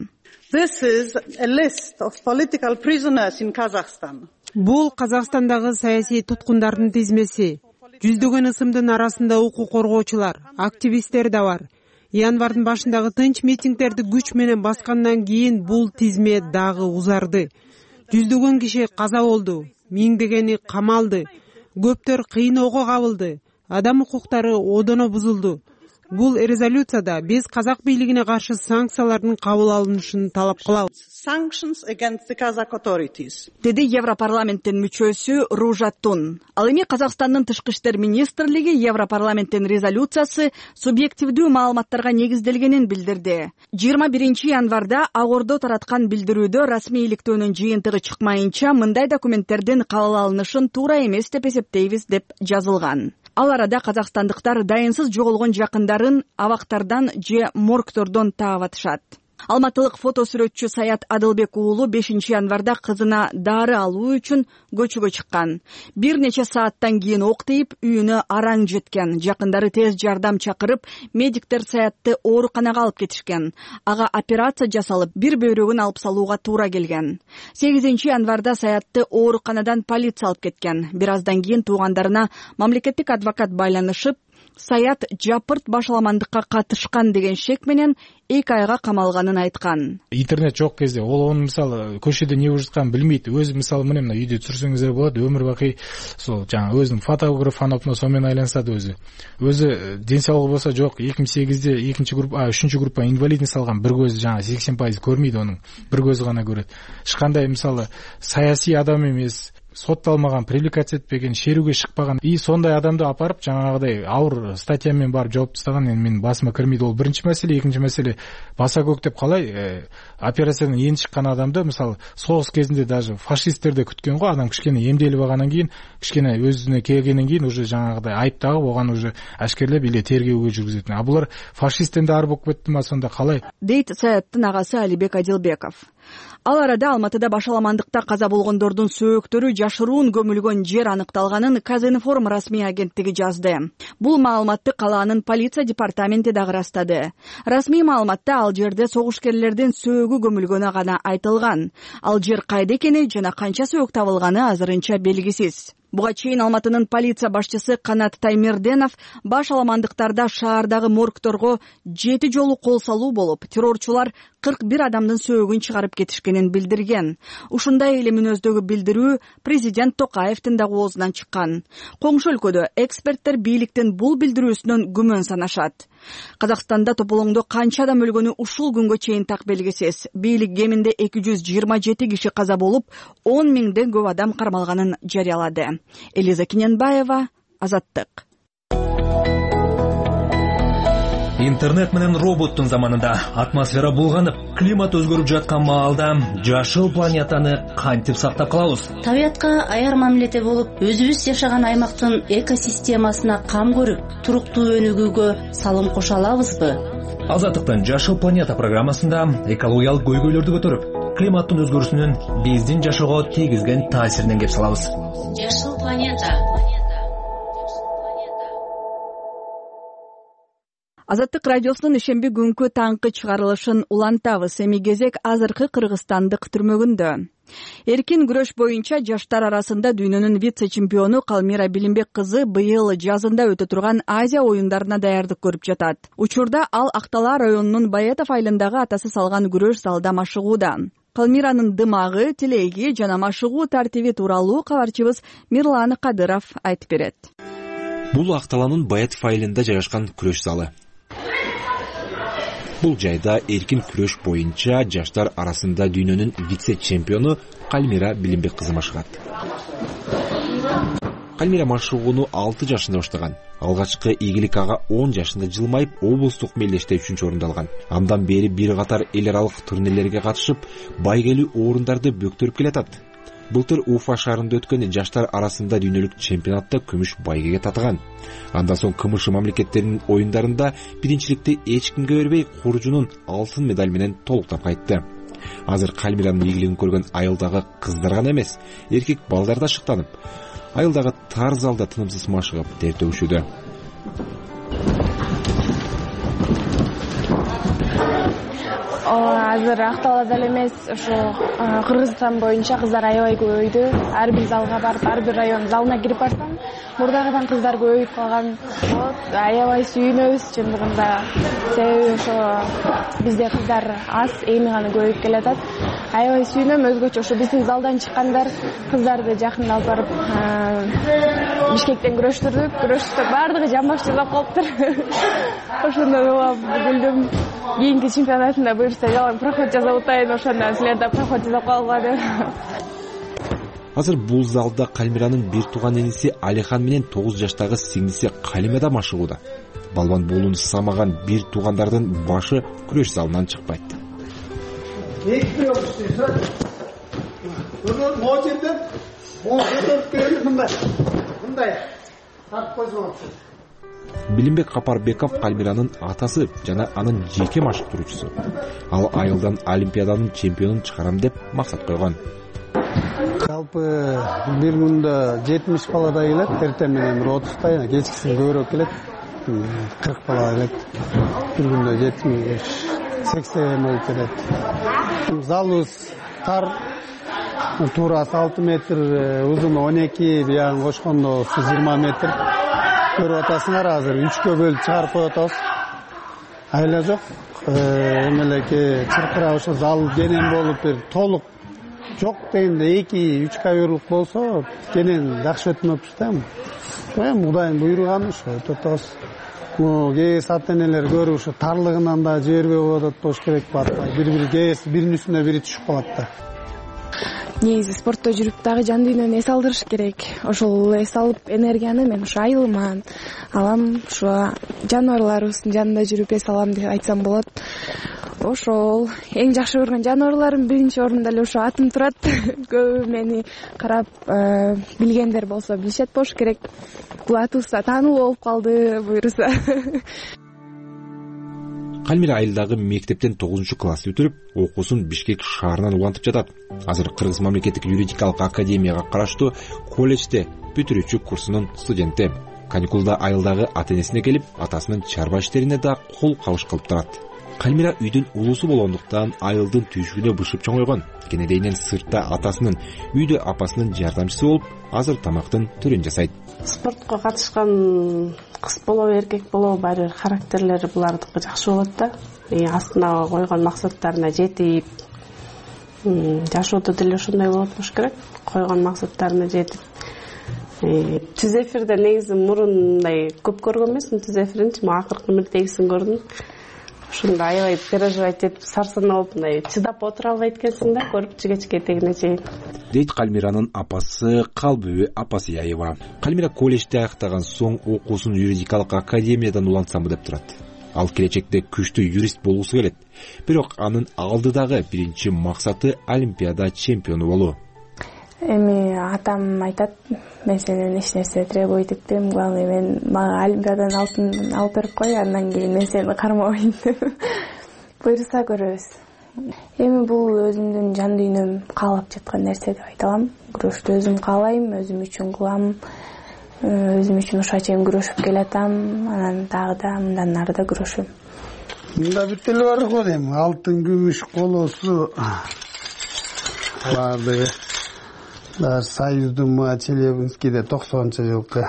Speaker 4: Бул Казакстандагы саясий туткундардын тизмеси. Жүздөгөн ысымдын арасында укук коргоочулар, активисттер да бар. Январдын башындагы тынч митингдерди күч менен баскандан кийин бул тизме дагы узарды. Жүздөгөн киши каза болду, миңдегени камалды, көптөр кыйноого кабылды, адам укуктары одоно бузулду. Бул резолюцияда биз казак бийлигине каршы санкциялардын кабыл алынышын талап кылабыз.
Speaker 1: Деди Европарламенттин мүчөсү Ружа Тун. Ал эми Казакстандын тышкы иштер министрлиги Европарламенттин резолюциясы субъективдүү маалыматтарга негизделгенин билдирди. 21 январда Ак Ордо тараткан билдирүүдө расмийликтөөнүн жыйынтыгы чыкмайынча мындай документтердин кабыл алынышын туура эмес деп эсептейбиз деп жазылган. Ал арада казакстандыктар дайынсыз жоголгон жакындарын абактардан же моргтордон таап атышат. Алматылык фотосүрөтчү Саят Адылбек уулу 5 январда кызына дары алуу үчүн көчөгө чыккан. Бир нече сааттан кийин ок тийип, үйүнө араң жеткен. Жакындары тез жардам чакырып, медиктер Саятты ооруканага алып кетишкен. Ага операция жасалып, бир бөйрөгүн алып салууга туура келген. 8 январда Саятты ооруканадан полиция алып кеткен. Бир аздан кийин туугандарына мамлекеттик адвокат байланышып, Саят жапырт башаламандыкка катышкан деген шек менен 2 айга камалганын айткан.
Speaker 19: Интернет жок кезде ол мисалы көчөдө эмне болуп жатканын билмейт. Өзү мисалы мына үйдө турсаңыздар болот, өмүр бакый сол жаңа өзүнүн фотограф фанатына сонун айлансат өзү. Өзү ден соолугу болсо жок, 2008-де 3 группа инвалидность алган, бир көзү жаңа 80% көрмөйт анын, бир көзү гана көрөт. Эч кандай мисалы саясий адам эмес, сотталмаган, привлекация этпеген, шерүүгө чыкпаган и сондай адамды апарып жаңагыдай ауыр статьямен барып жооп тастаган менин басыма кирмейт. Ол биринчи маселе. Экинчи маселе баса көктөп калай операциядан эни чыккан адамды мисалы согуш кезинде даже фашисттерде күткөн го, адам кичкене эмделип алгандан кийин, кичкене өзүнө келгенден кийин уже жаңагыдай айыптагып оган уже ашкерлеп эле тергөөгө жүргүзөт. А булар фашисттен да ар болуп кеттиме, сонда калай?
Speaker 1: Дейт Саяттын агасы Алибек Адилбеков. Ал арада Алматыда башаламандыкта каза болгондордун сөөктөрү жашыруун көмүлгөн жер аныкталганын Казинформ расмий агенттиги жазды. Бул маалыматты калаанын полиция департаменти дагы ырастады. Расмий маалыматта ал жерде согушкерлердин сөөгү көмүлгөнү гана айтылган. Ал жер кайда экени жана канча сөөк табылганы азырынча белгисиз. Буга чейин Алматынын полиция башчысы Канат Таймерденов башаламандыктарда шаардагы моргторго 7 жолу кол салуу болуп, террорчулар 41 адамдын сөөгүн чыгарып кетишкенин билдирген. Ушундай эле мүнөздөгү билдирүү президент Токаевдин дагы оозунан чыккан. Коңшу өлкөдө эксперттер бийликтин бул билдирүүсүнөн күмөн санашат. Казакстанда тополоңдо канча адам өлгөнү ушул күнгө чейин так белгисиз. Бийлик кеминде 227 киши каза болуп, 10 миңден көп адам кармалганын жарыялады. Элиза Киненбаева, Азаттык.
Speaker 20: Интернет менен роботтун заманында атмосфера булганып, климат өзгөрүп жаткан маалда жашыл планетаны кантип сактап калабыз?
Speaker 21: Табиятка аяр мамиледе болуп, өзүбүз жашаган аймактын экосистемасына кам көрүп, туруктуу өнүгүүгө салым кошо алабызбы?
Speaker 20: Азаттыктын Жашыл планета программасында экологиялык көйгөйлөрдү көтөрүп, климаттын өзгөрүүсүнүн биздин жашоого тийгизген таасиринен кеп салабыз.
Speaker 21: Жашыл планета.
Speaker 1: Азаттык радиосунун ишемби күнкү таңкы чыгарылышын улантабыз. Эми кезек азыркы кыргызстандык түрмөгүндө. Эркин күрөш боюнча жаштар арасында дүйнөнүн вице-чемпиону Калмира Билимбек кызы быйыл жазында өтө турган Азия оюндарына даярдык көрүп жатат. Учурда ал Актала районунун Баетов айылындагы атасы салган күрөш залда машыгууда. Калмиранын дымагы, тилеги жана машыгуу тартиби тууралуу кабарчыбыз Мирлан Кадыров айтып берет.
Speaker 22: Бул Акталанын Баетов айылында жайгашкан күрөш залы. Бул жайда эркин күрөш боюнча жаштар арасында дүйнөнүн вице-чемпиону Калмира Билимбек кызы машыгат. Калмира машыгууну 6 жашында баштаган. Алгачкы ийгилик ага 10 жашында жылмайып, облустук мелдеште 3-чү орунду алган. Андан бери бир катар эл аралык турнирлерге катышып, байгелүү орундарды бөктөрүп келатат. Былтыр Уфа шаарында өткөн жаштар арасында дүйнөлүк чемпионатта күмүш байгеге татыган. Андан соң КМШ мамлекеттеринин оюндарында биринчиликти эч кимге бербей, куржунун алтын медаль менен толуктап кайтты. Азыр Калмиранын ийгилигин көргөн айылдагы кыздар гана эмес, эркек балдар да шыктанып, айылдагы тар залда тынымсыз машыгып тер төгүшүүдө.
Speaker 23: Азыр Акталада эле эмес, ошо Кыргызстан боюнча кыздар аябай көбөйдү. Ар бир залга барып, ар бир район залына кирип барсам, мурдагыдан кыздар көбөйүп калган. Аябай сүйүнөбүз чындыгында. Себеби ошо бизде кыздар аз, эми гана көбөйүп келатат. Аябай сүйүнөм, өзгөчө ошо биздин залдан чыккандар кыздарды жакында алып барып Бишкектен күрөштүрдүк. Күрөштүк, бардыгы жамбаш жасап калыптыр. Ошондо күлдүм. Кийинки чемпионатында буюрса жалаң проход жасап атайын, ошондон силер да проход жасап калгыла деп.
Speaker 22: Азыр бул залда Калмиранын бир тууган иниси Алихан менен 9 жаштагы сиңдиси Калима да машыгууда. Балбан болууну самаган бир туугандардын башы күрөш залынан чыкпайт. Билимбек Капарбеков Калмиранын атасы жана анын жеке машыктыруучусу. Ал айылдан Олимпиаданын чемпионун чыгарам деп максат койгон.
Speaker 8: Жалпы бир күндө 70 баладай келет, эртең менен 30-тай, кечкисин көбүрөөк келет. 40 бала келет. Бир күндө 70-80 болуп келет. Залыбыз тар, туурасы 6 метр, узуну 12, биягын кошкондо 20 метр. Көрүп атасыңар, азыр 3кө бөлүп чыгарып коюп атабыз. Айла жок. Эмелеке чыркырап ошо зал кенен болуп бир толук жок дегенде 2-3 коверлук болсо, кенен жакшы өтмөкпүз да. Кудайдын буйруганы ошо өтүп атабыз. КС ата-энелер көрүп ошо тарлыгынан да жибербей болуп атат болуш керек батпай. Бири КС биринин үстүнө бири түшүп калат да.
Speaker 23: Негизи спортто жүрүп дагы жан дүйнөнү эс алдырыш керек. Ошол эс алып энергияны мен ошо айылыма алам, ошо жаныбарларыбыздын жанында жүрүп эс алам деп айтсам болот. Ошол эң жакшы көргөн жаныбарларым биринчи орунда эле ошо атым турат. Көбү мени карап билгендер болсо билишет болуш керек. Бул атыбызда таануу болуп калды буюрса.
Speaker 22: Калмира айылдагы мектептен 9-классты бүтүрүп, окуусун Бишкек шаарынан улантып жатат. Азыр Кыргыз мамлекеттик юридикалык академияга караштуу колледжде бүтүрүүчү курсунун студенти. Каникулда айылдагы ата-энесине келип, атасынын чарба иштерине да кол кабыш кылып турат. Калмира үйдүн улуусу болгондуктан айылдын түйшүгүнө бышып чоңойгон. Кенедейинен сыртта атасынын, үйдө апасынын жардамчысы болуп, азыр тамактын түрүн жасайт.
Speaker 24: Спортко катышкан кыз болобу, эркек болобу, баары бир характерлери булардыкы жакшы болот да. Астына койгон максаттарына жетип, жашоодо деле ошондой болот болуш керек. Койгон максаттарына жетип. Түз эфирде негизи мурундай көп көргөн эмесмин түз эфиринчи, акыркы мирдегисин көрдүм. Ошондо аябай переживать этип, сарсанаа болуп, мындай чыдап отура албайт экенсиң да, көрүп кечке этегине чейин.
Speaker 22: Дейт Калмиранын апасы Калбүбү Апасияева. Калмира колледжди аяктаган соң окуусун юридикалык академиядан улантсамбы деп турат. Ал келечекте күчтүү юрист болгусу келет. Бирок анын алдыдагы биринчи максаты Олимпиада чемпиону болуу.
Speaker 23: Эми атам айтат, мен сенен эч нерсе требовать этпейм, главное мен мага Олимпиаданын алтынын алып берип кой, андан кийин мен сени кармабайм деп. Буйруса көрөбүз. Эми бул өзүмдүн жан дүйнөм каалап жаткан нерсе деп айта алам. Күрөштү өзүм каалайм, өзүм үчүн кылам, өзүм үчүн ушуга чейин күрөшүп келатам, анан дагы да мындан ары да күрөшөм.
Speaker 8: Мында бүт эле бар го дейм, алтын, күмүш, колосу баардыгы. Даже Союздун Челябинскийде 90-жылкы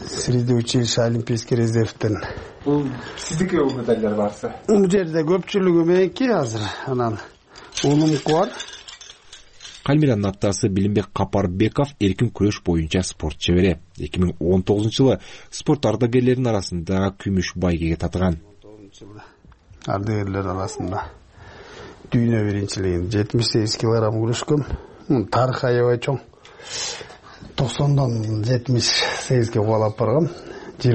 Speaker 8: среди училища Олимпийский резервден.
Speaker 14: Бул сиздики бул медальдар барсы?
Speaker 8: Бул жерде көпчүлүгү меники азыр. Анан улумку бар.
Speaker 22: Кальмиранын атасы Билимбек Капарбеков эркин күрөш боюнча спорт чебери. 2019-жылы спорт ардагерлеринин арасында күмүш байгеге татыган.
Speaker 8: Ардагерлер арасында дүйнө биринчилигин 78 килограмм күрөшкөм. Тарыхы аябай чоң. 90-дан 78ге кубалап баргам. 20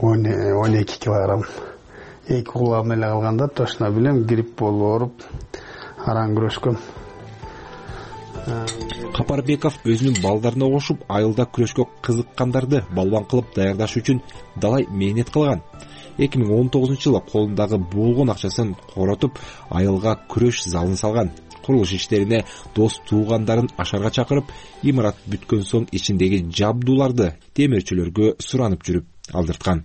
Speaker 8: күндө 12 килограмм. 2 кулам эле калганда точно билем, грипп болуп ооруп араң күрөшкөм.
Speaker 22: Капарбеков өзүнүн балдарына кошуп айылда күрөшкө кызыккандарды балбан кылып даярдаш үчүн далай мээнет кылган. 2019-жылы колундагы болгон акчасын коротуп айылга күрөш залын салган. Курулуш иштерине дос туугандарын ашарга чакырып, имарат бүткөн соң ичиндеги жабдууларды темирчилерге суранып жүрүп алдырткан.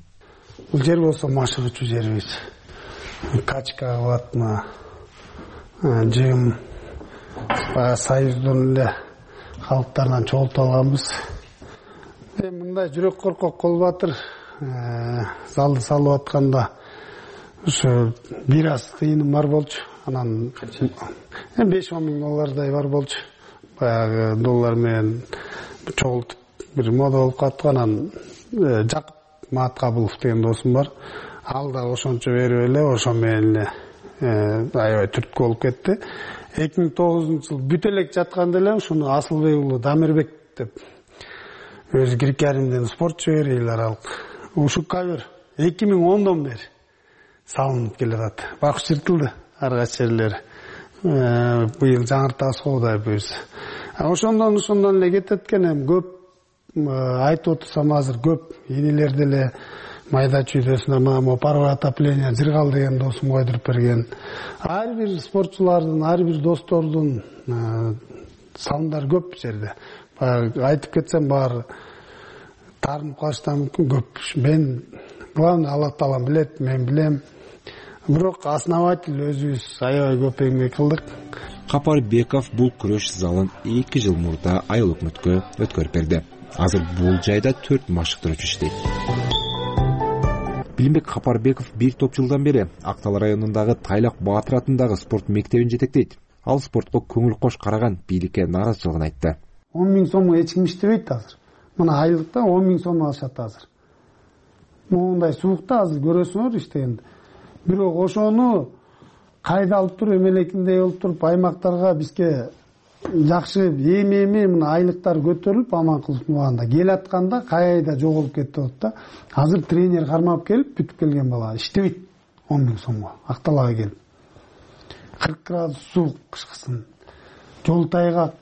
Speaker 8: Бул жер болсо машыгычуу жерибиз. Качка кылатма, жым, Союздун эле калктарынан чогултуп алганбыз. Мындай жүрөк коркок Колбатыр залды салып атканда ушу бир аз тыйыным бар болчу. Анан 5-10 миң доллардай бар болчу. Баягы доллар менен чогултуп бир мода болуп калыптык. Анан Жакып Маткабылов деген досум бар. Ал да ошончо берип эле, ошо менен эле аябай түрткү болуп кетти. 2009-жылы бүт элек жатканда эле ушуну Асылбек уулу Дамирбек деп өзү Грекаримден спортчу эл аралык. Ушу кавер 2010-дон бери салынып келатат. Бак чыртылды ар кайсы жерлери. Быйыл жаңыртабыз Кудай буйрса. Ошондон эле кетет экен, эми көп айтып отурсам азыр көп энелер деле майда чүйдөсүнө мама паровое отопление Жыргал деген досум койдуруп берген. Ар бир спортчулардын, ар бир достордун салымдары көп жерде. Айтып кетсем баары таарынып калыштан мүмкүн көп. Мен главное Алла Таалам билет, мен билем. Бирок основатель өзүбүз аябай көп эмгек кылдык.
Speaker 22: Капарбеков бул күрөш залын 2 жыл мурда айыл өкмөткө өткөрүп берди. Азыр бул жайда 4 машыктыруучу иштейт. Билимбек Капарбеков 1 топ жылдан бери Актал районундагы Тайлак Баатыр атындагы спорт мектебин жетектейт. Ал спортко көңүл кош караган бийликке нааразычылыгын айтты.
Speaker 8: 10 миң сомго эч ким иштебейт азыр. Мына айлыкта 10 миң сом алышат азыр. Мындай суукта азыр көрөсүңөр иштегенди. Бирок ошону кайда алып туруп эмелекиндей болуп туруп аймактарга бизге жакшы эми мына айлыктар көтөрүлүп аманкулов муранда келатканда кайда жоголуп кетти болот да. Азыр тренер кармап келип бүтүп келген бала иштебейт 10 миң сомго Акталга келип. 40 градус суук кышкысын. Жол тайгак.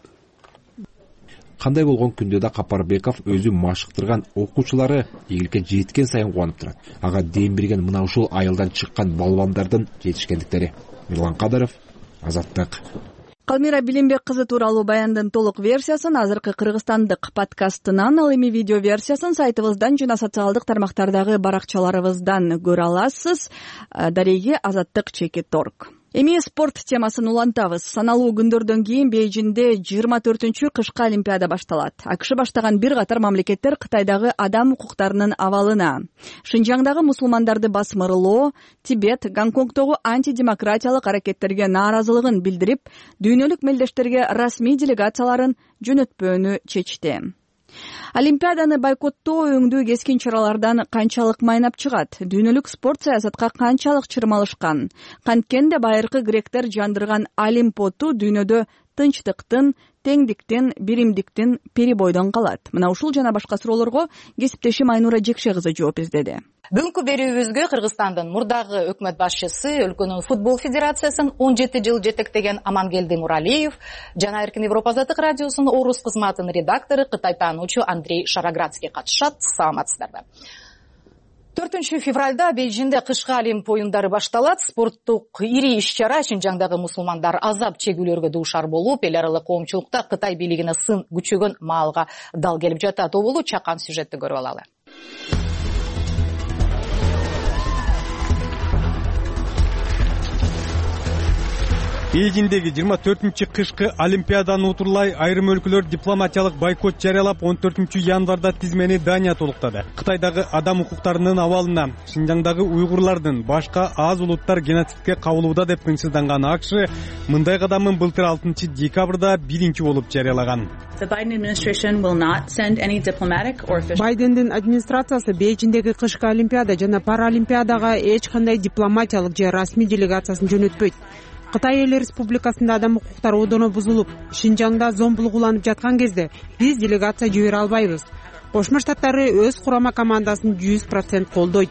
Speaker 22: Кандай болгон күндө да Капарбеков өзү машыктырган окуучулары ийгиликке жеткен сайын кубанып турат. Ага дем берген мына ушул айылдан чыккан балбандардын жетишкендиктери. Мирлан Кадаров, Азаттык.
Speaker 1: Калмира Билимбек кызы тууралуу баяндын толук версиясын азыркы кыргызстандык подкастынан, ал эми видео версиясын сайтыбыздан жана социалдык тармактардагы баракчаларыбыздан көрө аласыз. Дареги Азаттык.org. Эми спорт темасын улантабыз. Саналуу күндөрдөн кийин Бейжиңде 24-чү кышкы Олимпиада башталат. АКШ баштаган бир катар мамлекеттер Кытайдагы адам укуктарынын абалына, Шинжаңдагы мусулмандарды басмырлоо, Тибет, Гонконгдогу антидемократиялык аракеттерге нааразылыгын билдирип, дүйнөлүк мелдештерге расмий делегацияларын жөнөтпөөнү чечти. Олимпиаданы бойкоттоо өңдүү кескин чаралардан канчалык майнап чыгат? Дүйнөлүк спорт саясатка канчалык чырмалышкан? Канткенде байыркы гректер жандырган Олимпоту дүйнөдө тынчтыктын, теңдиктин, биримдиктин перебойдон калат? Мына ушул жана башка суроолорго кесиптешим Айнура Жекше кызы жооп издеди.
Speaker 2: Бүгүнкү берүүбүзгө Кыргызстандын мурдагы өкмөт башчысы, өлкөнүн футбол федерациясын 17 жыл жетектеген Амангелди Муралиев жана Эркин Европа Азаттык радиосунун орус кызматынын редактору, Кытай таануучу Андрей Шараградский катышат. Саламатсыздарбы. 4 февралда Бейжиңде кышкы Олимп оюндары башталат. Спорттук ири иш-чара Шинжаңдагы мусулмандар азап чегүүлөргө дуушар болуп, эл аралык коомчулукта Кытай бийлигине сын күчөгөн маалга дал келип жатат. Обулу чакан сюжетти көрүп алалы.
Speaker 3: Бейжиңдеги 24-кышкы Олимпиаданы утурлай айрым өлкөлөр дипломатиялык бойкот жарыялап 14-январда тизмени Дания толуктады. Кытайдагы адам укуктарынын абалына, Шинжаңдагы уйгурлардын башка аз улуттар геноцидке кабылууда деп тынчсызданган АКШ мындай кадамын былтыр 6 декабрда биринчи болуп жарыялаган.
Speaker 4: Байдендин администрациясы Бейжиңдеги кышкы Олимпиада жана Паралимпиадага эч кандай дипломатиялык же расмий делегациясын жөнөтпөйт. Кытай Эл Республикасында адам укуктары одоно бузулуп, Шинжаңда зомбулук уланып жаткан кезде биз делегация жибере албайбыз. Кошмо Штаттары өз курама командасын 100% колдойт.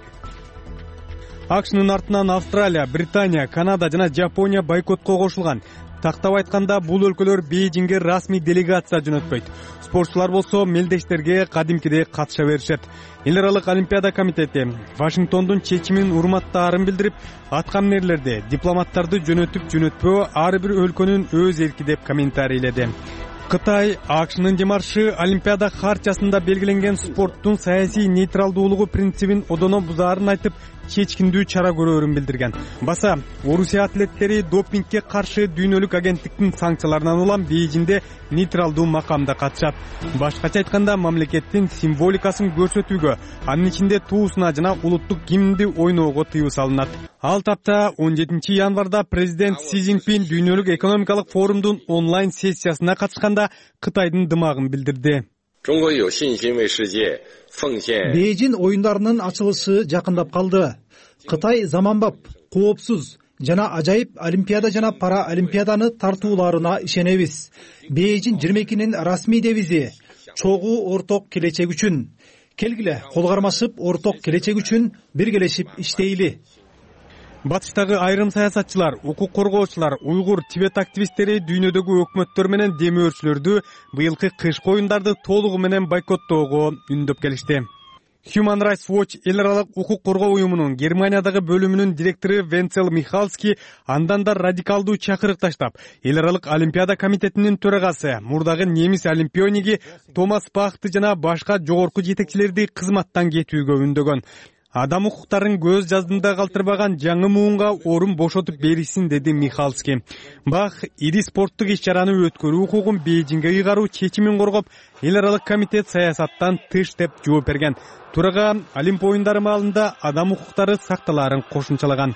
Speaker 3: АКШнын артынан Австралия, Британия, Канада жана Жапония бойкотко кошулган. Тактап айтканда, бул өлкөлөр Бейжиңге расмий делегация жөнөтпөйт. Спортчулар болсо мелдештерге кадимкидей катыша беришет. Эл аралык Олимпиада комитети Вашингтондун чечимин урматтаарын билдирип, аткан нерлерде дипломаттарды жөнөтүп-жөнөтпөө ар бир өлкөнүн өз эрки деп комментарийледи. Кытай АКШнын демаршы Олимпиада хартиясында белгиленген спорттун саясий нейтралдуулугу принцибин одоно бузаарын айтып, чечкиндүү чара көрөөрүн билдирген. Баса, Орусия атлеттери допингке каршы дүйнөлүк агенттиктин санкцияларынан улам Бейжиңде нейтралдуу макамда катышат. Башкача айтканда, мамлекеттин символикасын көрсөтүүгө, анын ичинде туусуна жана улуттук гимнди ойноого тыюу салынат. Ал тапта 17 январда президент Си Цзиньпин дүйнөлүк экономикалык форумдун онлайн сессиясына катышканда Кытайдын дымагын билдирди.
Speaker 5: Бейжиң оюндарынын ачылышы жакындап калды. Кытай заманбап, коопсуз жана ажайып Олимпиада жана Паралимпиаданы тартууларына ишенебиз. Бейжиң 22-нин расмий девизи чогуу орток келечек үчүн. Келгиле, кол кармашып, орток келечек үчүн биргелешип иштейли.
Speaker 3: Батыштагы айрым саясатчылар, укук коргоочулар, уйгур, Тибет активисттери дүйнөдөгү өкмөттөр менен демөөрчүлөрдү быйылкы кышкы оюндарды толугу менен бойкоттоого үндөп келишти. Human Rights Watch эл аралык укук коргоо уюмунун Германиядагы бөлүмүнүн директору Венцел Михалский андан да радикалдуу чакырык таштап, эл аралык Олимпиада комитетинин төрагасы, мурдагы немис олимпиониги Томас Бахты жана башка жогорку жетекчилерди кызматтан кетүүгө үндөгөн. Адам укуктарын көз жаздымда калтырбаган жаңы муунга орун бошотуп беришсин, деди Михалский. Бах ири спорттук иш-чараны өткөрүү укугун Бейжиңге ыйгаруу чечимин коргоп, эл аралык комитет саясаттан тыш деп жооп берген. Турага Олимп оюндары маалында адам укуктары сакталаарын кошумчалаган.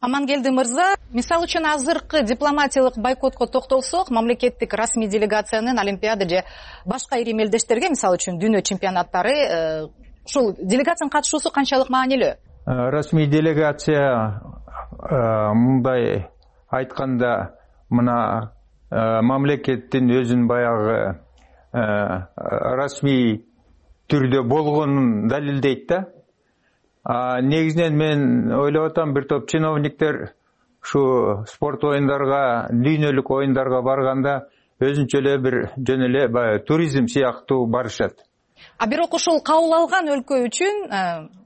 Speaker 2: Амангелди мырза, мисалы үчүн азыркы дипломатиялык бойкотко токтолсок, мамлекеттик расмий делегациянын Олимпиада же башка ири мелдештерге, мисалы үчүн дүйнө чемпионаттары, ушул делегациянын катышуусу канчалык маанилүү?
Speaker 6: Расмий делегация мындай айтканда, мына мамлекеттин өзүн баягы расмий түрдө болгонун далилдейт да. Негизинен мен ойлоп атам, бир топ чиновниктер ушу спорт оюндарга, дүйнөлүк оюндарга барганда өзүнчө эле бир жөн эле баягы туризм сыяктуу барышат.
Speaker 2: Бирок ушул кабыл алган өлкө үчүн,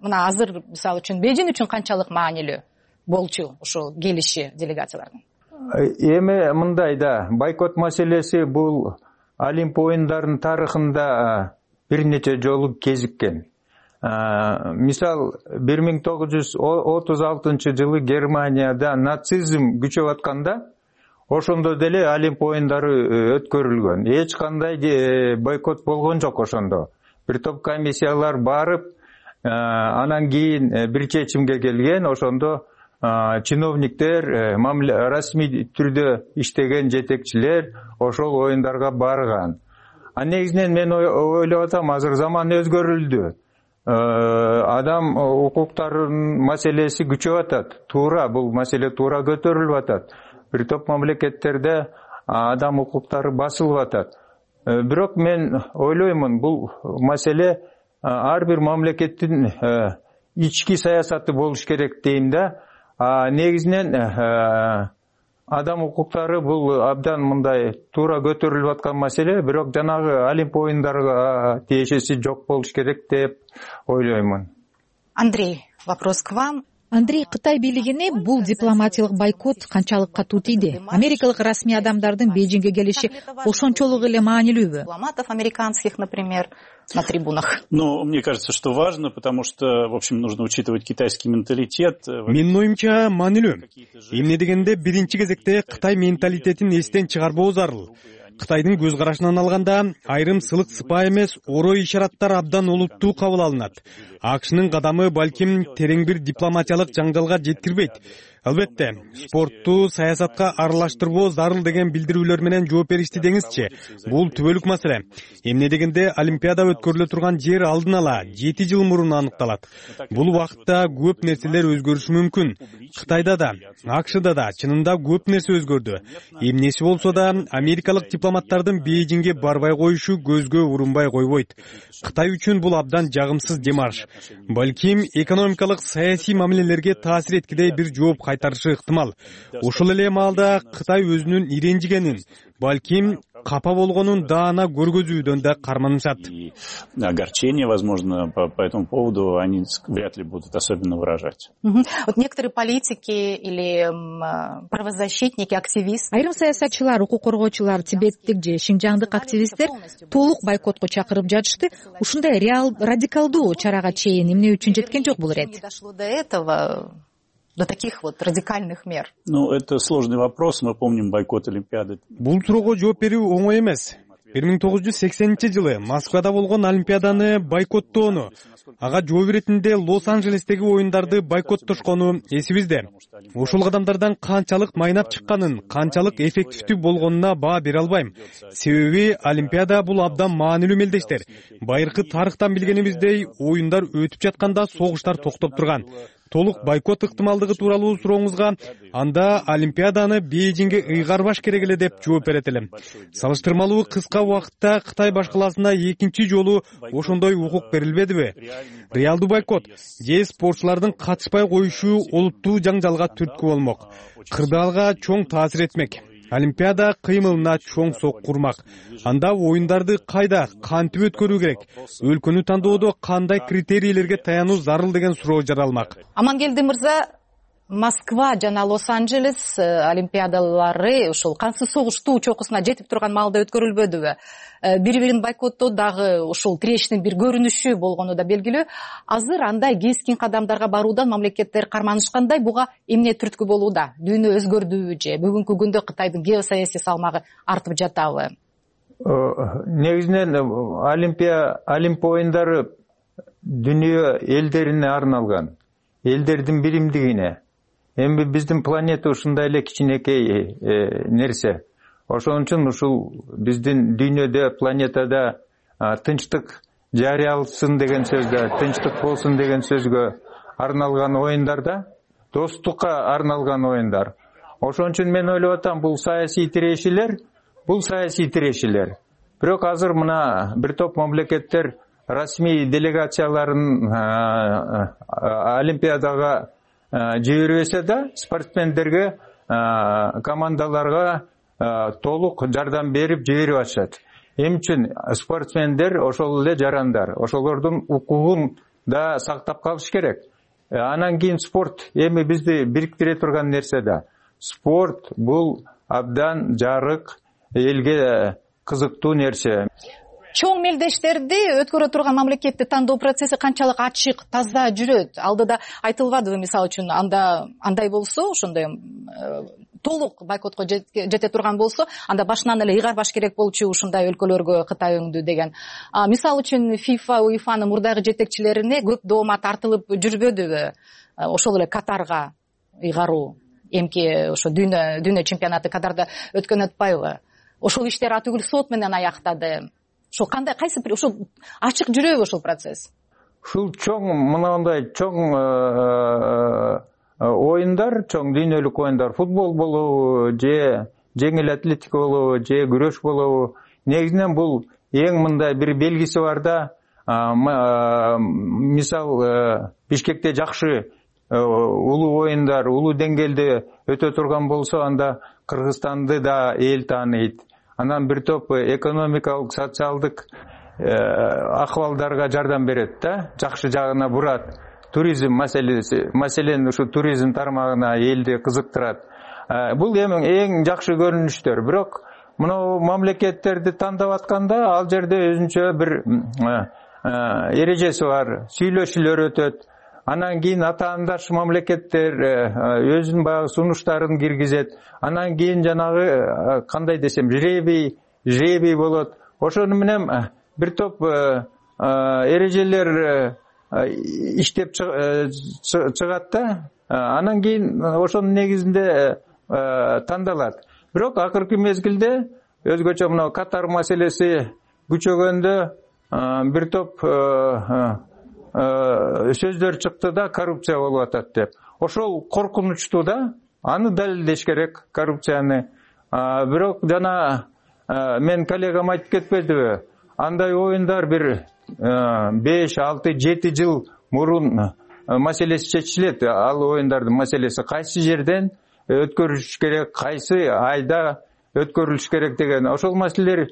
Speaker 2: мына азыр мисалы үчүн Бейжиң үчүн канчалык маанилүү болчу ушул келиши делегациялардын?
Speaker 6: Эми мындай да, бойкот маселеси бул Олимп оюндарынын тарыхында бир нече жолу кезиккен. Мисал 1936 жылы Германияда нацизм күчөп атканда, ошондо деле Олимп оюндары өткөрүлгөн. Эч кандай бойкот болгон жок ошондо. Бир топ комиссиялар барып, анан кийин бир чечимге келген, ошондо чиновниктер, расмий түрдө иштеген жетекчилер ошол оюндарга барган. Негизинен мен ойлоп атам, азыр заман өзгөрүлдү. Адам укуктарынын маселеси күчөп атат. Туура, бул маселе туура көтөрүлүп атат. бир топ мамлекеттерде адам укуктары басылып атат. Бирок мен ойлоймун, бул маселе ар бир мамлекеттин ички саясаты болуш керек дейм да. Негизинен адам укуктары бул абдан мындай туура көтөрүлүп аткан маселе, бирок жанагы Олимп оюндарга тиешеси жок болуш керек деп ойлоймун.
Speaker 2: Андрей, вопрос к вам.
Speaker 7: Андрей, Кытай бийлигине бул дипломатиялык бойкот канчалык катуу тийди? Америкалык расмий адамдардын Бейжиңге келиши ошончолук эле маанилүүбү?
Speaker 2: Дипломатов американских, например, на трибунах.
Speaker 10: Ну, мне кажется, что важно, потому что, в общем, нужно учитывать китайский менталитет.
Speaker 3: Менин оюмча маанилүү. Эмне дегенде биринчи кезекте Кытай менталитетин эстен чыгарбоо зарыл. Кытайдын көз карашынан алганда айрым сылык сыпаа эмес орой ишараттар абдан олуттуу кабыл алынат. АКШнын кадамы балким терең бир дипломатиялык жаңжалга жеткирбейт. Албетте, спортту саясатка аралаштырбоо зарыл деген билдирүүлөр менен жооп беришти деңизчи. Бул түбөлүк маселе. Эмне дегенде Олимпиада өткөрүлө турган жер алдын ала 7 жыл мурун аныкталат. Бул убакытта көп нерселер өзгөрүшү мүмкүн. Кытайда да, АКШда да чынында көп нерсе өзгөрдү. Эмнеси болсо да америкалык дипломаттардын Бейжиңге барбай коюшу көзгө урунбай койбойт. Кытай үчүн бул абдан жагымсыз демарш. Балким экономикалык саясий мамилелерге таасир эткидей бир жооп кайтарышы ыктымал. Ошол эле маалда Кытай өзүнүн иренжигенин, балким капа болгонун даана көргөзүүдөн да карманышат.
Speaker 10: Огорчение, возможно, по этому поводу они вряд ли будут особенно выражать.
Speaker 2: Вот некоторые политики или правозащитники, активисты.
Speaker 7: Айрым саясатчылар, укук коргоочулар, тибеттик же шинжаңдык активисттер толук бойкотко чакырып жатышты. Ушундай радикалдуу чарага чейин эмне үчүн жеткен жок бул ирет?
Speaker 2: Дошло до этого. До таких вот радикальных мер?
Speaker 10: Ну, это сложный вопрос. Мы помним бойкот Олимпиады.
Speaker 3: Бул суроого жооп берүү оңой эмес. 1980-жылы Москвада болгон Олимпиаданы бойкоттоону, ага жооп иретинде Лос-Анджелестеги оюндарды бойкоттошкону эсибизде. Ошол кадамдардан канчалык майнап чыкканын, канчалык эффективдүү болгонуна баа бере албайм. Себеби Олимпиада бул абдан маанилүү мелдештер. Байыркы тарыхтан билгенибиздей, оюндар өтүп жатканда согуштар токтоп турган. Толук бойкот ыктымалдыгы тууралуу сурооңузга, анда Олимпиаданы Бейжиңге ыйгарбаш керек эле деп жооп берет элем. Салыштырмалуу кыска убакытта Кытай башкаласына экинчи жолу ошондой укук берилбедиби? Реалдуу бойкот же спортчулардын катышпай коюшу олуттуу жаңжалга түрткү болмок. Кырдаалга чоң таасир этмек. Олимпиада кыймылына чоң сок курмак. Анда оюндарды кайда, кантип өткөрүү керек? Өлкөнү тандоодо кандай критерийлерге таянуу зарыл деген суроо жаралмак.
Speaker 2: Амангелди мырза, Москва жана Лос-Анджелес олимпиадалары ушул кансыз согуштуу чокусуна жетип турган маалда өткөрүлбөдүбү? Бири-бирин бойкоттоо дагы ушул тирештин бир көрүнүшү болгону да белгилүү. Азыр андай кескин кадамдарга баруудан мамлекеттер карманышкандай, буга эмне түрткү болууда? Дүйнө өзгөрдүбү же бүгүнкү күндө Кытайдын геосаясий салмагы артып жатабы?
Speaker 6: Негизинен Олимп оюндары дүйнө элдерине арналган, элдердин биримдигине. Эми биздин планета ушундай эле кичинекей нерсе. Ошон үчүн ушул биздин дүйнөдө, планетада тынчтык жарыялсын деген сөздө, тынчтык болсун деген сөзгө арналган оюндарда, достукка арналган оюндар. Ошон үчүн мен ойлоп атам, бул саясий тирешилер. Бирок азыр мына бир топ мамлекеттер расмий делегацияларын Олимпиадага жибербесе да, спортсмендерге, командаларга толук жардам берип жиберип атышат. Эми үчүн спортсмендер ошол эле жарандар, ошолордун укугун да сактап калыш керек. Анан кийин спорт эми бизди бириктире турган нерсе да. Спорт бул абдан жарык, элге кызыктуу нерсе.
Speaker 2: Чоң мелдештерди өткөрө турган мамлекетти тандоо процесси канчалык ачык, таза жүрөт? Алдыда айтылбадыбы, мисалы үчүн, андай болсо, ошондой толук бойкотко жете турган болсо, анда башынан эле ыйгарбаш керек болчу ушундай өлкөлөргө Кытай өңдү деген. Мисалы үчүн ФИФА, УЕФАнын мурдагы жетекчилерине көп доoma тартылып жүрбөдүбү? Ошол эле Катарга ыйгаруу, эмки ошо дүйнө чемпионаты Катарда өткөн атпайбы? Ошол иштер атүгүл сот менен аяктады. Ошо кандай, кайсы бир ошол ачык жүрөбү ошол процесс?
Speaker 6: Ушул чоң, мынандай чоң оюндар, чоң дүйнөлүк оюндар, футбол болобу же жеңил атлетика болобу же күрөш болобу, негизинен бул эң мындай бир белгиси бар да, мисал Бишкекте жакшы улуу оюндар, улуу деңгээлде өтө турган болсо, анда Кыргызстанды да эл тааныйт. Анан бир топ экономикалык, социалдык акыбалдарга жардам берет да, жакшы жагына бурат. Туризм маселеси, маселен ушу туризм тармагына элди кызыктырат. Бул эң жакшы көрүнүштөр. Бирок мына мамлекеттерди тандап атканда, ал жерде өзүнчө бир эрежеси бар, сүйлөшүүлөр өтөт. Анан кийин атаандаш мамлекеттер өзүнүн баягы сунуштарын киргизет. Анан кийин жанагы кандай десем, жребий болот. Ошону менен бир топ эрежелер иштеп чыгат да. Анан кийин ошонун негизинде тандалат. Бирок акыркы мезгилде өзгөчө мына Катар маселеси күчөгөндө бир топ сөздөр чыкты да, коррупция болуп атат деп. Ошол коркунучтуу да, аны далилдеш керек, коррупцияны. Бирок жана мен коллегам айтып кетпедиби? Андай оюндар бир 5, 6, 7 жыл мурун маселеси чечилет. Ал оюндардын маселеси кайсы жерден өткөрүлүш керек, кайсы айда өткөрүлүш керек деген. Ошол маселелер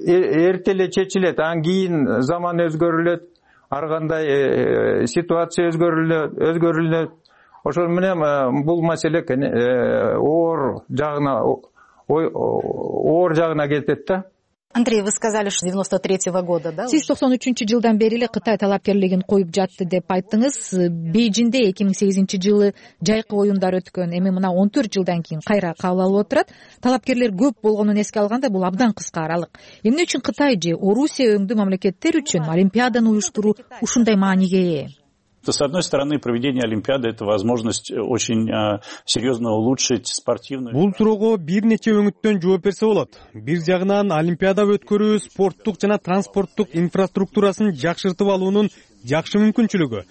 Speaker 6: эрте эле чечилет. Анан кийин заман өзгөрүлөт, ар кандай ситуация өзгөрүлөт. Ошол менен бул маселе оор жагына кетет да.
Speaker 2: Андрей, вы сказали, что 93-го года, да?
Speaker 7: Сиз 93-жылдан бери эле Кытай талапкерлигин коюп жатты деп айттыңыз. Бейжинде 2008-жылы жайкы оюндар өткөн. Эми мына 14 жылдан кийин кайра кабыл алып отурат. Талапкерлер көп болгонун эске алганда бул абдан кыска аралык. Эмне үчүн Кытай же Орусия өңдүү мамлекеттер үчүн Олимпиаданы уюштуруу ушундай мааниге ээ?
Speaker 10: С одной стороны, проведение Олимпиады – это возможность очень серьезно улучшить спортивную...
Speaker 3: Бул суроого бир нече өңүттөн жооп берсе болот. Бир жагынан Олимпиада өткөрүү спорттук жана транспорттук инфраструктурасын жакшыртып алуунун жакшы мүмкүнчүлүгү.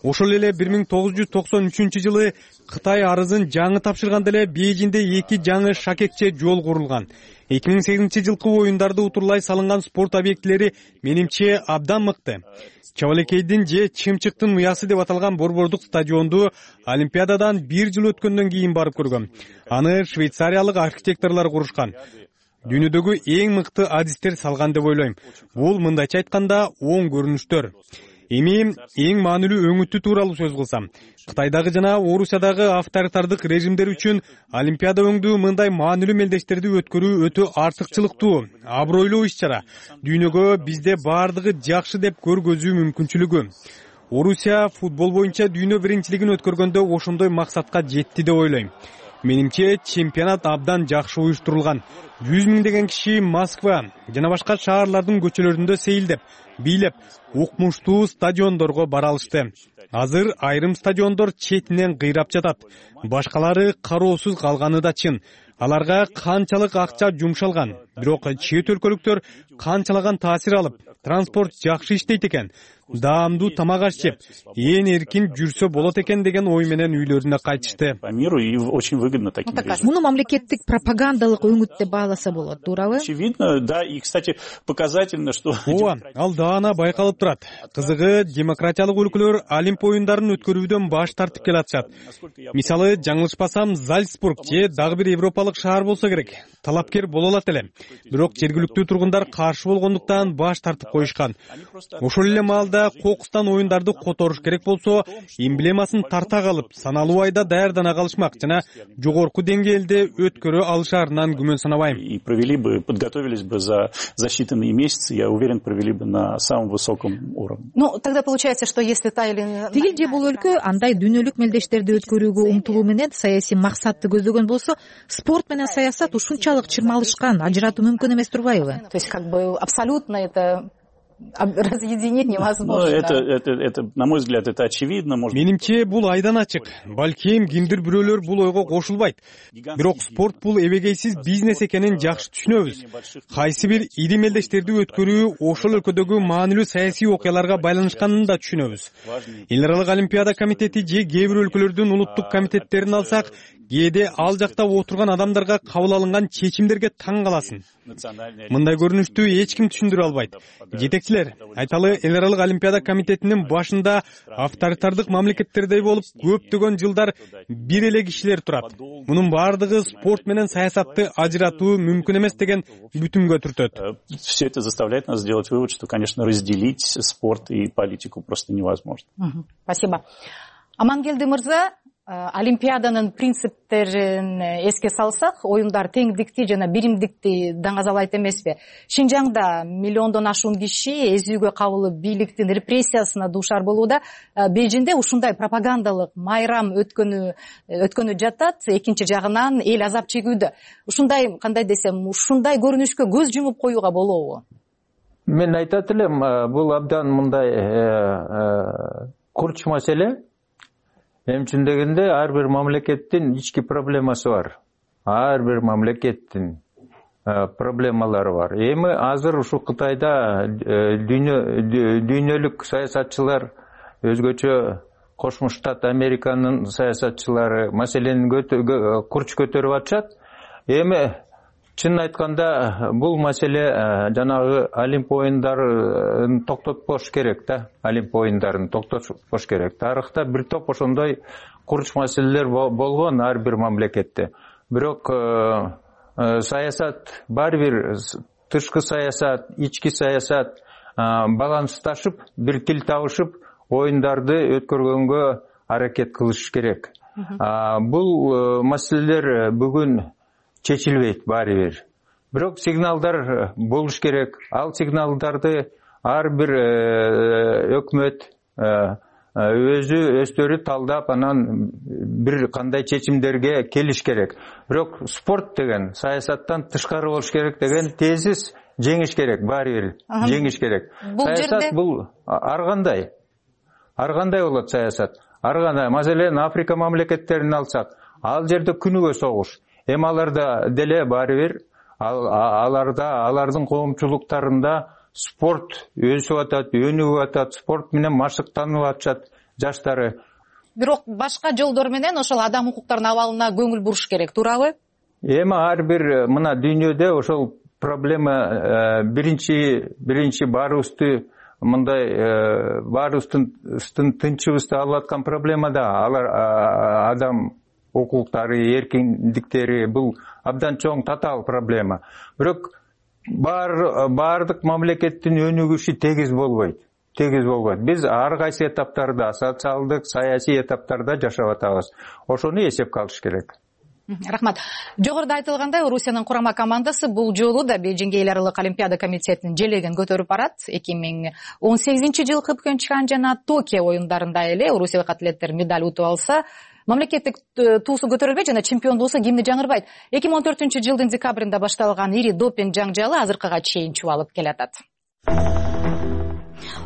Speaker 3: Ошол эле 1993-жылы Кытай арызын жаңы тапшырганда эле Бейжинде 2 жаңы шакекче жол курулган. 2008-жылкы оюндарды утурлай салынган спорт объектилери менимче абдан мыкты. Чабалекейдин же Чымчыктын уясы деп аталган борбордук стадионду Олимпиададан 1 жыл өткөндөн кийин барып көргөм. Аны швейцариялык архитекторлор курушкан. Дүйнөдөгү эң мыкты адистер салган деп ойлойм. Бул мындайча айтканда оң көрүнүштөр. Эми эң маанилүү өңүтү тууралуу сөз кылсам, Кытайдагы жана Орусиядагы авторитардык режимдер үчүн Олимпиада өңдүү мындай маанилүү мелдештерди өткөрүү өтө артыкчылыктуу, абройлуу иш-чара. Дүйнөгө бизде бардыгы жакшы деп көргөзүү мүмкүнчүлүгү. Орусия футбол боюнча дүйнө биринчилигин өткөргөндө ошондой максатка жетти деп ойлойм. Менимче чемпионат абдан жакшы уюштурулган. 100 миңдеген киши Москва жана башка шаарлардын көчөлөрүндө сейилдеп, бийлеп, укмуштуу стадиондорго бара алышты. Азыр айрым стадиондор четинен кыйрап жатат. Башкалары кароосуз калганы да чын. Аларга канчалык акча жумшалган, бирок чет өлкөлүктөр канчалаган таасир алып, транспорт жакшы иштейт экен, даамдуу тамак аш жеп, ээн эркин жүрсө болот экен деген ой менен үйлөрүнө кайтышты.
Speaker 10: По миру и очень выгодно таким режимам.
Speaker 7: Муну мамлекеттик пропагандалык өңүт деп бааласа болот, туурабы?
Speaker 10: Очевидно, да, и, кстати, показательно, что...
Speaker 3: Ооба, ал даана байкалып турат. Кызыгы, демократиялык өлкөлөр Олимп оюндарын өткөрүүдөн баш тартып келатышат. Мисалы, жаңылышпасам, Зальцбург же дагы бир европалык шаар болсо керек. Талапкер боло алат эле. Бирок жергиликтүү тургундар каршы болгондуктан баш тартып коюшкан. Ошол эле маалда кокустан оюндарды которуш керек болсо, эмблемасын тарта калып, саналуу айда даярдана калышмак жана жогорку деңгээлде өткөрө алышаарынан күмөн санабайм.
Speaker 10: И провели бы, подготовились бы за считанные месяцы, я уверен, провели бы на самом высоком уровне.
Speaker 2: Ну, тогда получается, что если та или...
Speaker 7: Тигил же бул өлкө андай дүйнөлүк мелдештерди өткөрүүгө умтулуу менен саясий максатты көздөгөн болсо, спорт менен саясат ушунчалык чырмалышкан, ажыратуу мүмкүн эмес турбайбы?
Speaker 2: То есть, как бы, абсолютно это разъединить невозможно.
Speaker 10: Это, на мой взгляд, это очевидно.
Speaker 3: Менимче бул айдан ачык. Балким кимдир бирөөлөр бул ойго кошулбайт. Бирок спорт бул эбегейсиз бизнес экенин жакшы түшүнөбүз. Кайсы бир ири мелдештерди өткөрүү ошол өлкөдөгү маанилүү саясий окуяларга байланышканын да түшүнөбүз. Эл аралык олимпиада комитети же кээ бир өлкөлөрдүн улуттук комитеттерин алсак, кээде ал жакта отурган адамдарга кабыл алынган чечимдерге таң каласың. Мындай көрүнүштү эч ким түшүндүрө албайт. Жетекчилер, айталы эл аралык олимпиада комитетинин башында авторитардык мамлекеттердей болуп көптөгөн жылдар бир эле кишилер турат. Мунун баардыгы спорт менен саясатты ажыратуу мүмкүн эмес деген бүтүмгө түртөт.
Speaker 10: Все это заставляет нас сделать вывод, что, конечно, разделить спорт и политику просто невозможно.
Speaker 2: Спасибо. Амангелди мырза, олимпиаданын принциптерин эске салсак, оюндар теңдикти жана биримдикти даңазалайт эмеспи? Шинжаңда миллиондон ашуун киши эзүүгө кабылып бийликтин репрессиясына дуушар болууда. Бейжиңде ушундай пропагандалык майрам өткөнү жатат, экинчи жагынан эл азап чегүүдө. Ушундай, кандай десем, ушундай көрүнүшкө көз жумуп коюуга болобу?
Speaker 6: Мен айтат элем, бул абдан мындай курч маселе. Эмчин дегенде ар бир мамлекеттин ички проблемасы бар. Ар бир мамлекеттин проблемалары бар. Эми азыр ушу Кытайда дүйнөлүк саясатчылар, өзгөчө Кошмо Штат Американын саясатчылары маселени курч көтөрүп атышат. Эми чын айтканда бул маселе жанагы Олимп оюндарын токтотпош керек да. Олимп оюндарын токтотпош керек. Тарыхта бир топ ошондой курч маселелер болгон ар бир мамлекетте. Бирок саясат бар бир тышкы саясат, ички саясат балансташып, бир тил табышып, оюндарды өткөргөнгө аракет кылыш керек. Бул маселелер бүгүн чечилбейт баары бир. Бирок сигналдар болуш керек. Ал сигналдарды ар бир өкмөт өздөрү талдап, анан бир кандай чечимдерге келиш керек. Бирок спорт деген саясаттан тышкары болуш керек деген тезис жеңиш керек, баары бир жеңиш керек. Саясат бул ар кандай болот саясат. Ар кандай, маселен Африка мамлекеттерин алсак, ал жерде күнүгө согуш. Эми аларда деле баары бир, алардын коомчулуктарында спорт өсүп атат, өнүгүп атат, спорт менен машыктанып атышат жаштары.
Speaker 2: Бирок башка жолдор менен ошол адам укуктарынын абалына көңүл буруш керек, туурабы?
Speaker 6: Эми ар бир мына дүйнөдө ошол проблема биринчи баарыбызды мындай баарыбыздын тынчыбызды алып аткан проблема да. Алар адам укуктары, эркиндиктери бул абдан чоң татаал проблема. Бирок баардык мамлекеттин өнүгүшү тегиз болбойт. Биз ар кайсы этаптарда, социалдык, саясий этаптарда жашап атабыз. Ошону эсепке алыш керек.
Speaker 2: Рахмат. Жогоруда айтылгандай, Орусиянын курама командасы бул жолу да Бейжиңге эл аралык олимпиада комитетинин желегин көтөрүп барат. 2018-жылкы Пхенчхан жана Токио оюндарында эле орусиялык атлеттер медаль утуп алса, мамлекеттик туусу көтөрүлбөйт жана чемпиондуусу гимни жаңырбайт. 2014-жылдын декабрында башталган ири допинг жаңжалы азыркыга чейин чубалып келатат.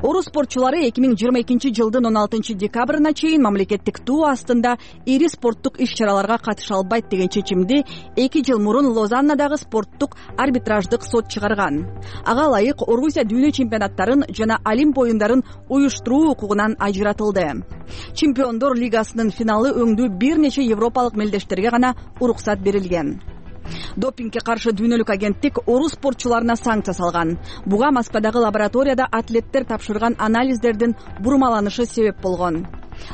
Speaker 1: Орус спортчулары 2022-жылдын 16-декабрына чейин мамлекеттик туу астында ири спорттук иш-чараларга катыша албайт деген чечимди 2 жыл мурун Лозаннадагы спорттук арбитраждык сот чыгарган. Ага ылайык Орусия дүйнө чемпионаттарын жана Олимп оюндарын уюштуруу укугунан ажыратылды. Чемпиондор лигасынын финалы өңдүү бир нече европалык мелдештерге гана уруксат берилген. Допингге каршы дүйнөлүк агенттик орус спортчуларына санкция салган. Буга Москвадагы лабораторияда атлеттер тапшырган анализдердин бурмаланышы себеп болгон.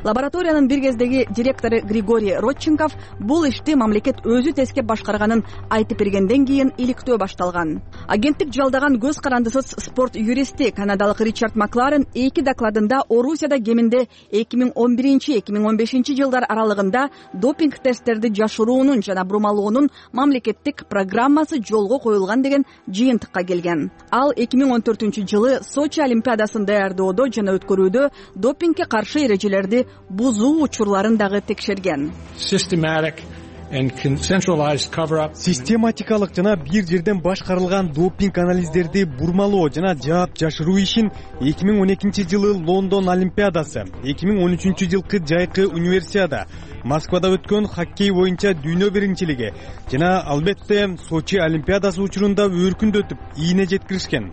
Speaker 1: Лабораториянын бир кездеги директору Григорий Родченков бул ишти мамлекет өзү тескеп башкарганын айтып бергенден кийин иликтөө башталган. Агенттик жалдаган көз карандысыз спорт юристи канадалык Ричард Макларен 2 докладында Орусияда кеминде 2011-2015 жылдар аралыгында допинг тесттерди жашыруунун жана бурмалоонун мамлекеттик программасы жолго коюлган деген жыйынтыкка келген. Ал 2014-жылы Сочи олимпиадасын даярдоодо жана өткөрүүдө допингге каршы эрежелерди бузуу учурларын дагы текшерген.
Speaker 3: систематикалык жана бир жерден башкарылган допинг анализдерди бурмалоо жана жаап жашыруу ишин 2012-жылы Лондон Олимпиадасы, 2013-жылкы жайкы универсиада, Москвада өткөн хоккей боюнча дүйнө биринчилиги жана албетте Сочи Олимпиадасы учурунда өркүндөтүп, ийине жеткиришкен.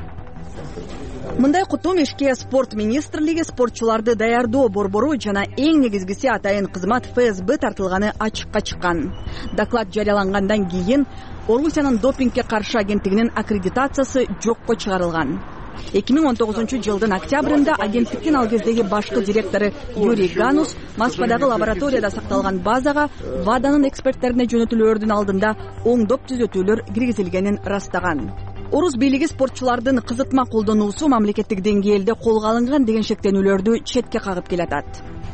Speaker 1: Мындай кутум ишке спорт министрлиги, спортчуларды даярдоо борбору жана эң негизгиси атайын кызмат ФСБ тартылганы ачыкка чыккан. Доклад жарыялангандан кийин Орусиянын допингге каршы агенттигинин аккредитациясы жокко чыгарылган. 2019-жылдын октябрында агенттиктин ал кездеги башкы директору Юрий Ганус Москвадагы лабораторияда сакталган базага ВАДАнын эксперттерине жөнөтүлөөрдүн алдында оңдоп түзөтүүлөр киргизилгенин ырастаган. Орус бийлиги спортчулардын кызытма колдонуусу мамлекеттик деңгээлде колго алынган деген шектенүүлөрдү четке кагып келатат.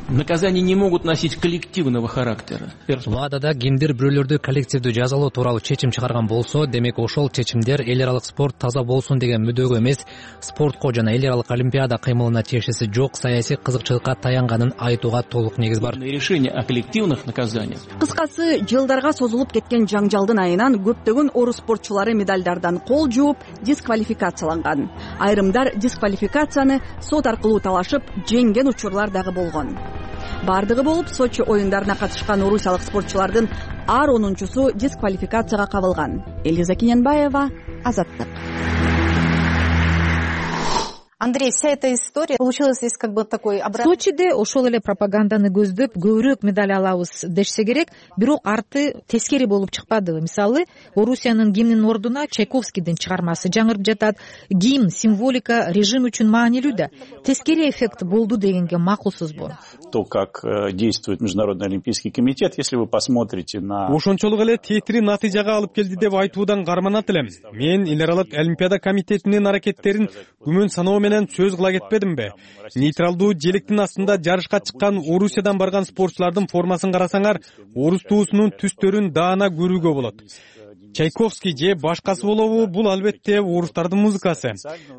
Speaker 9: Наказания не могут носить коллективного характера.
Speaker 11: ВАДАда кимдир бирөөлөрдү коллективдүү жазалоо тууралуу чечим чыгарган болсо, демек ошол чечимдер эл аралык спорт таза болсун деген мүдөгө эмес, спортко жана эл аралык олимпиада кыймылына тиешеси жок саясий кызыкчылыкка таянганын айтууга толук негиз бар.
Speaker 9: Решение о коллективных наказаниях.
Speaker 1: Кыскасы, жылдарга созулуп кеткен жаңжалдын айынан көптөгөн орус спортчулары медальдардан кол жууп, дисквалификацияланган. Айрымдар дисквалификацияны сот аркылуу талашып, жеңген учурлар дагы болгон. Бардыгы болуп, Сочи оюндарына катышкан орусиялык спортчулардын ар 10-су дисквалификацияга кабылган. Элиза Кененбаева, Азаттык.
Speaker 2: Андрей, вся эта история получилась здесь как бы такой обратный.
Speaker 7: Сочиде ошол эле пропаганданы көздөп көбүрөөк медаль алабыз дешсе керек, бирок арты тескери болуп чыкпады. Мисалы, Орусиянын гимнинин ордуна Чайковскийдин чыгармасы жаңырып жатат. Гимн, символика режим үчүн маанилүү да. Тескери эффект болду дегенге макулсузбу?
Speaker 10: То, как действует Международный олимпийский комитет, если вы посмотрите на...
Speaker 3: Ошончолук эле тетири натыйжага алып келди деп айтуудан карманат элем. Мен эл аралык олимпиада комитетинин аракеттерин күмөн саноо менен сөз кыла кетпедимби? Нейтралдуу желектин астында жарышка чыккан Орусиядан барган спортчулардын формасын карасаңар, орус туусунун түстөрүн даана көрүүгө болот. Чайковский же башкасы болобу, бул албетте орустардын музыкасы.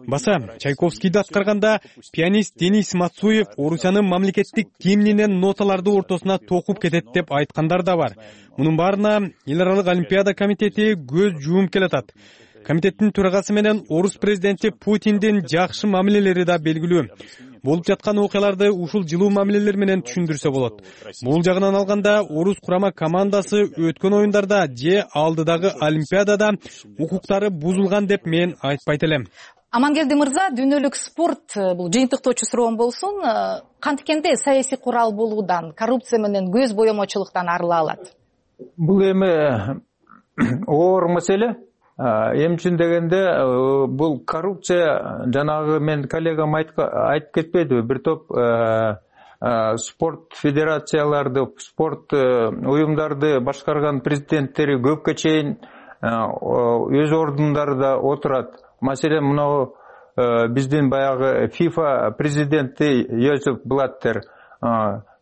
Speaker 3: Баса, Чайковскийди аткарганда пианист Денис Мацуев Орусиянын мамлекеттик гимнинен ноталарды ортосуна токуп кетет деп айткандар да бар. Мунун баарына эл аралык олимпиада комитети көз жууп келатат. Комитеттин төрагасы менен орус президенти Путиндин жакшы мамилелери да белгилүү. Болуп жаткан окуяларды ушул жылуу мамилелер менен түшүндүрсө болот. Бул жагынан алганда орус курама командасы өткөн оюндарда же алдыдагы олимпиадада укуктары бузулган деп мен айтпайт элем.
Speaker 2: Амангелди мырза, дүйнөлүк спорт бул жыйынтыктоочу суроом болсун, кантикенде саясий курал болуудан, коррупция менен көз боемочулуктан арыла алат?
Speaker 6: Бул эми оор маселе. Эми үчүн дегенде бул коррупция, жанагы мен коллегам айтып кетпедиби, бир топ спорт федерацияларды, спорт уюмдарды башкарган президенттери көпкө чейин өз ордундарында отурат. Маселен, мына биздин баягы FIFA президенти Йозеф Блаттер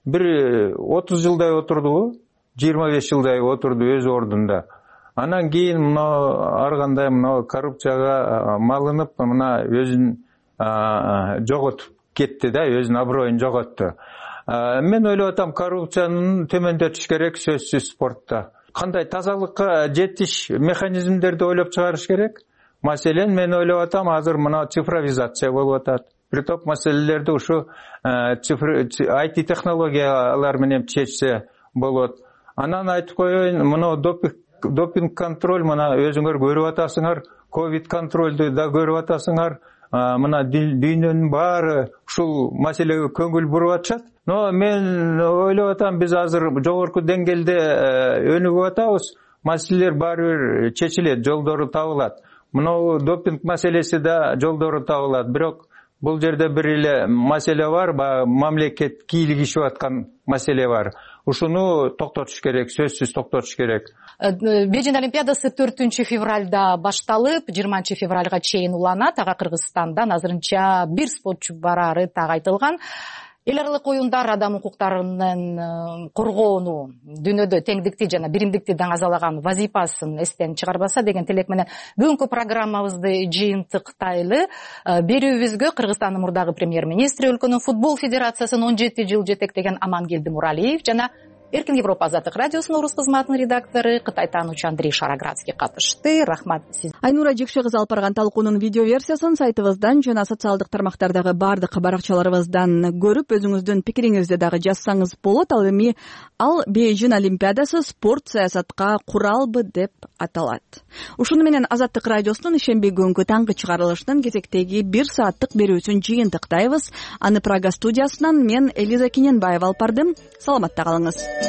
Speaker 6: бир 30 жылдай отурду, 25 жылдай отурду өз ордунда. Анан кийин мына ар кандай мына коррупцияга малынып, мына өзүн жоготуп кетти да, өзүнүн аброюн жоготту. Мен ойлоп атам, коррупцияны төмөндөтүш керек сөзсүз спортто. Кандай тазалыкка жетиш механизмдерди ойлоп чыгарыш керек. Маселен, мен ойлоп атам, азыр мына цифровизация болуп атат. Бир топ маселелерди ушу IT технологиялар менен чечсе болот. Анан айтып коеюн, мына допинг контроль, мына өзүңөр көрүп атасыңар, ковид контролду да көрүп атасыңар, мына дүйнөнүн баары ушул маселеге көңүл буруп атышат. Но мен ойлоп атам, биз азыр жогорку деңгээлде өнүгүп атабыз, маселелер баары бир чечилет, жолдору табылат. Мына допинг маселеси да жолдору табылат. Бирок бул жерде бир эле маселе бар, мамлекет кийлигишип аткан маселе бар. Ушуну токтотуш керек, сөзсүз токтотуш керек.
Speaker 2: Бейжин олимпиадасы 4 февралда башталып, 20 февралга чейин уланат. Ага Кыргызстандан азырынча бир спортчу барары так айтылган. Эл аралык оюндар адам укуктарынын коргоону, дүйнөдө теңдикти жана биримдикти даңазалаган вазифасын эстен чыгарбаса деген тилек менен бүгүнкү программабызды жыйынтыктайлы. Берүүбүзгө Кыргызстандын мурдагы премьер-министри, өлкөнүн футбол федерациясын 17 жыл жетектеген Амангелди Муралиев жана Эркин Европа азаттык радиосунун орус кызматынын редактору Кытай таануучу Андрей Шароградский катышты. Рахмат сизге.
Speaker 1: Айнура Жекше кызы алып барган талкуунун видео версиясын сайтыбыздан жана социалдык тармактардагы баардык баракчаларыбыздан көрүп, өзүңүздүн пикириңизди дагы жазсаңыз болот. Ал эми Бейжин Олимпиадасы спорт саясатка куралбы деп аталат. Ушуну менен Азаттык радиосунун ишемби күнгү таңкы чыгарылышынын кезектеги 1 сааттык берүүсүн жыйынтыктайбыз. Аны Прага студиясынан мен Элиза Кененбаева алып бардым. Саламатта калыңыз.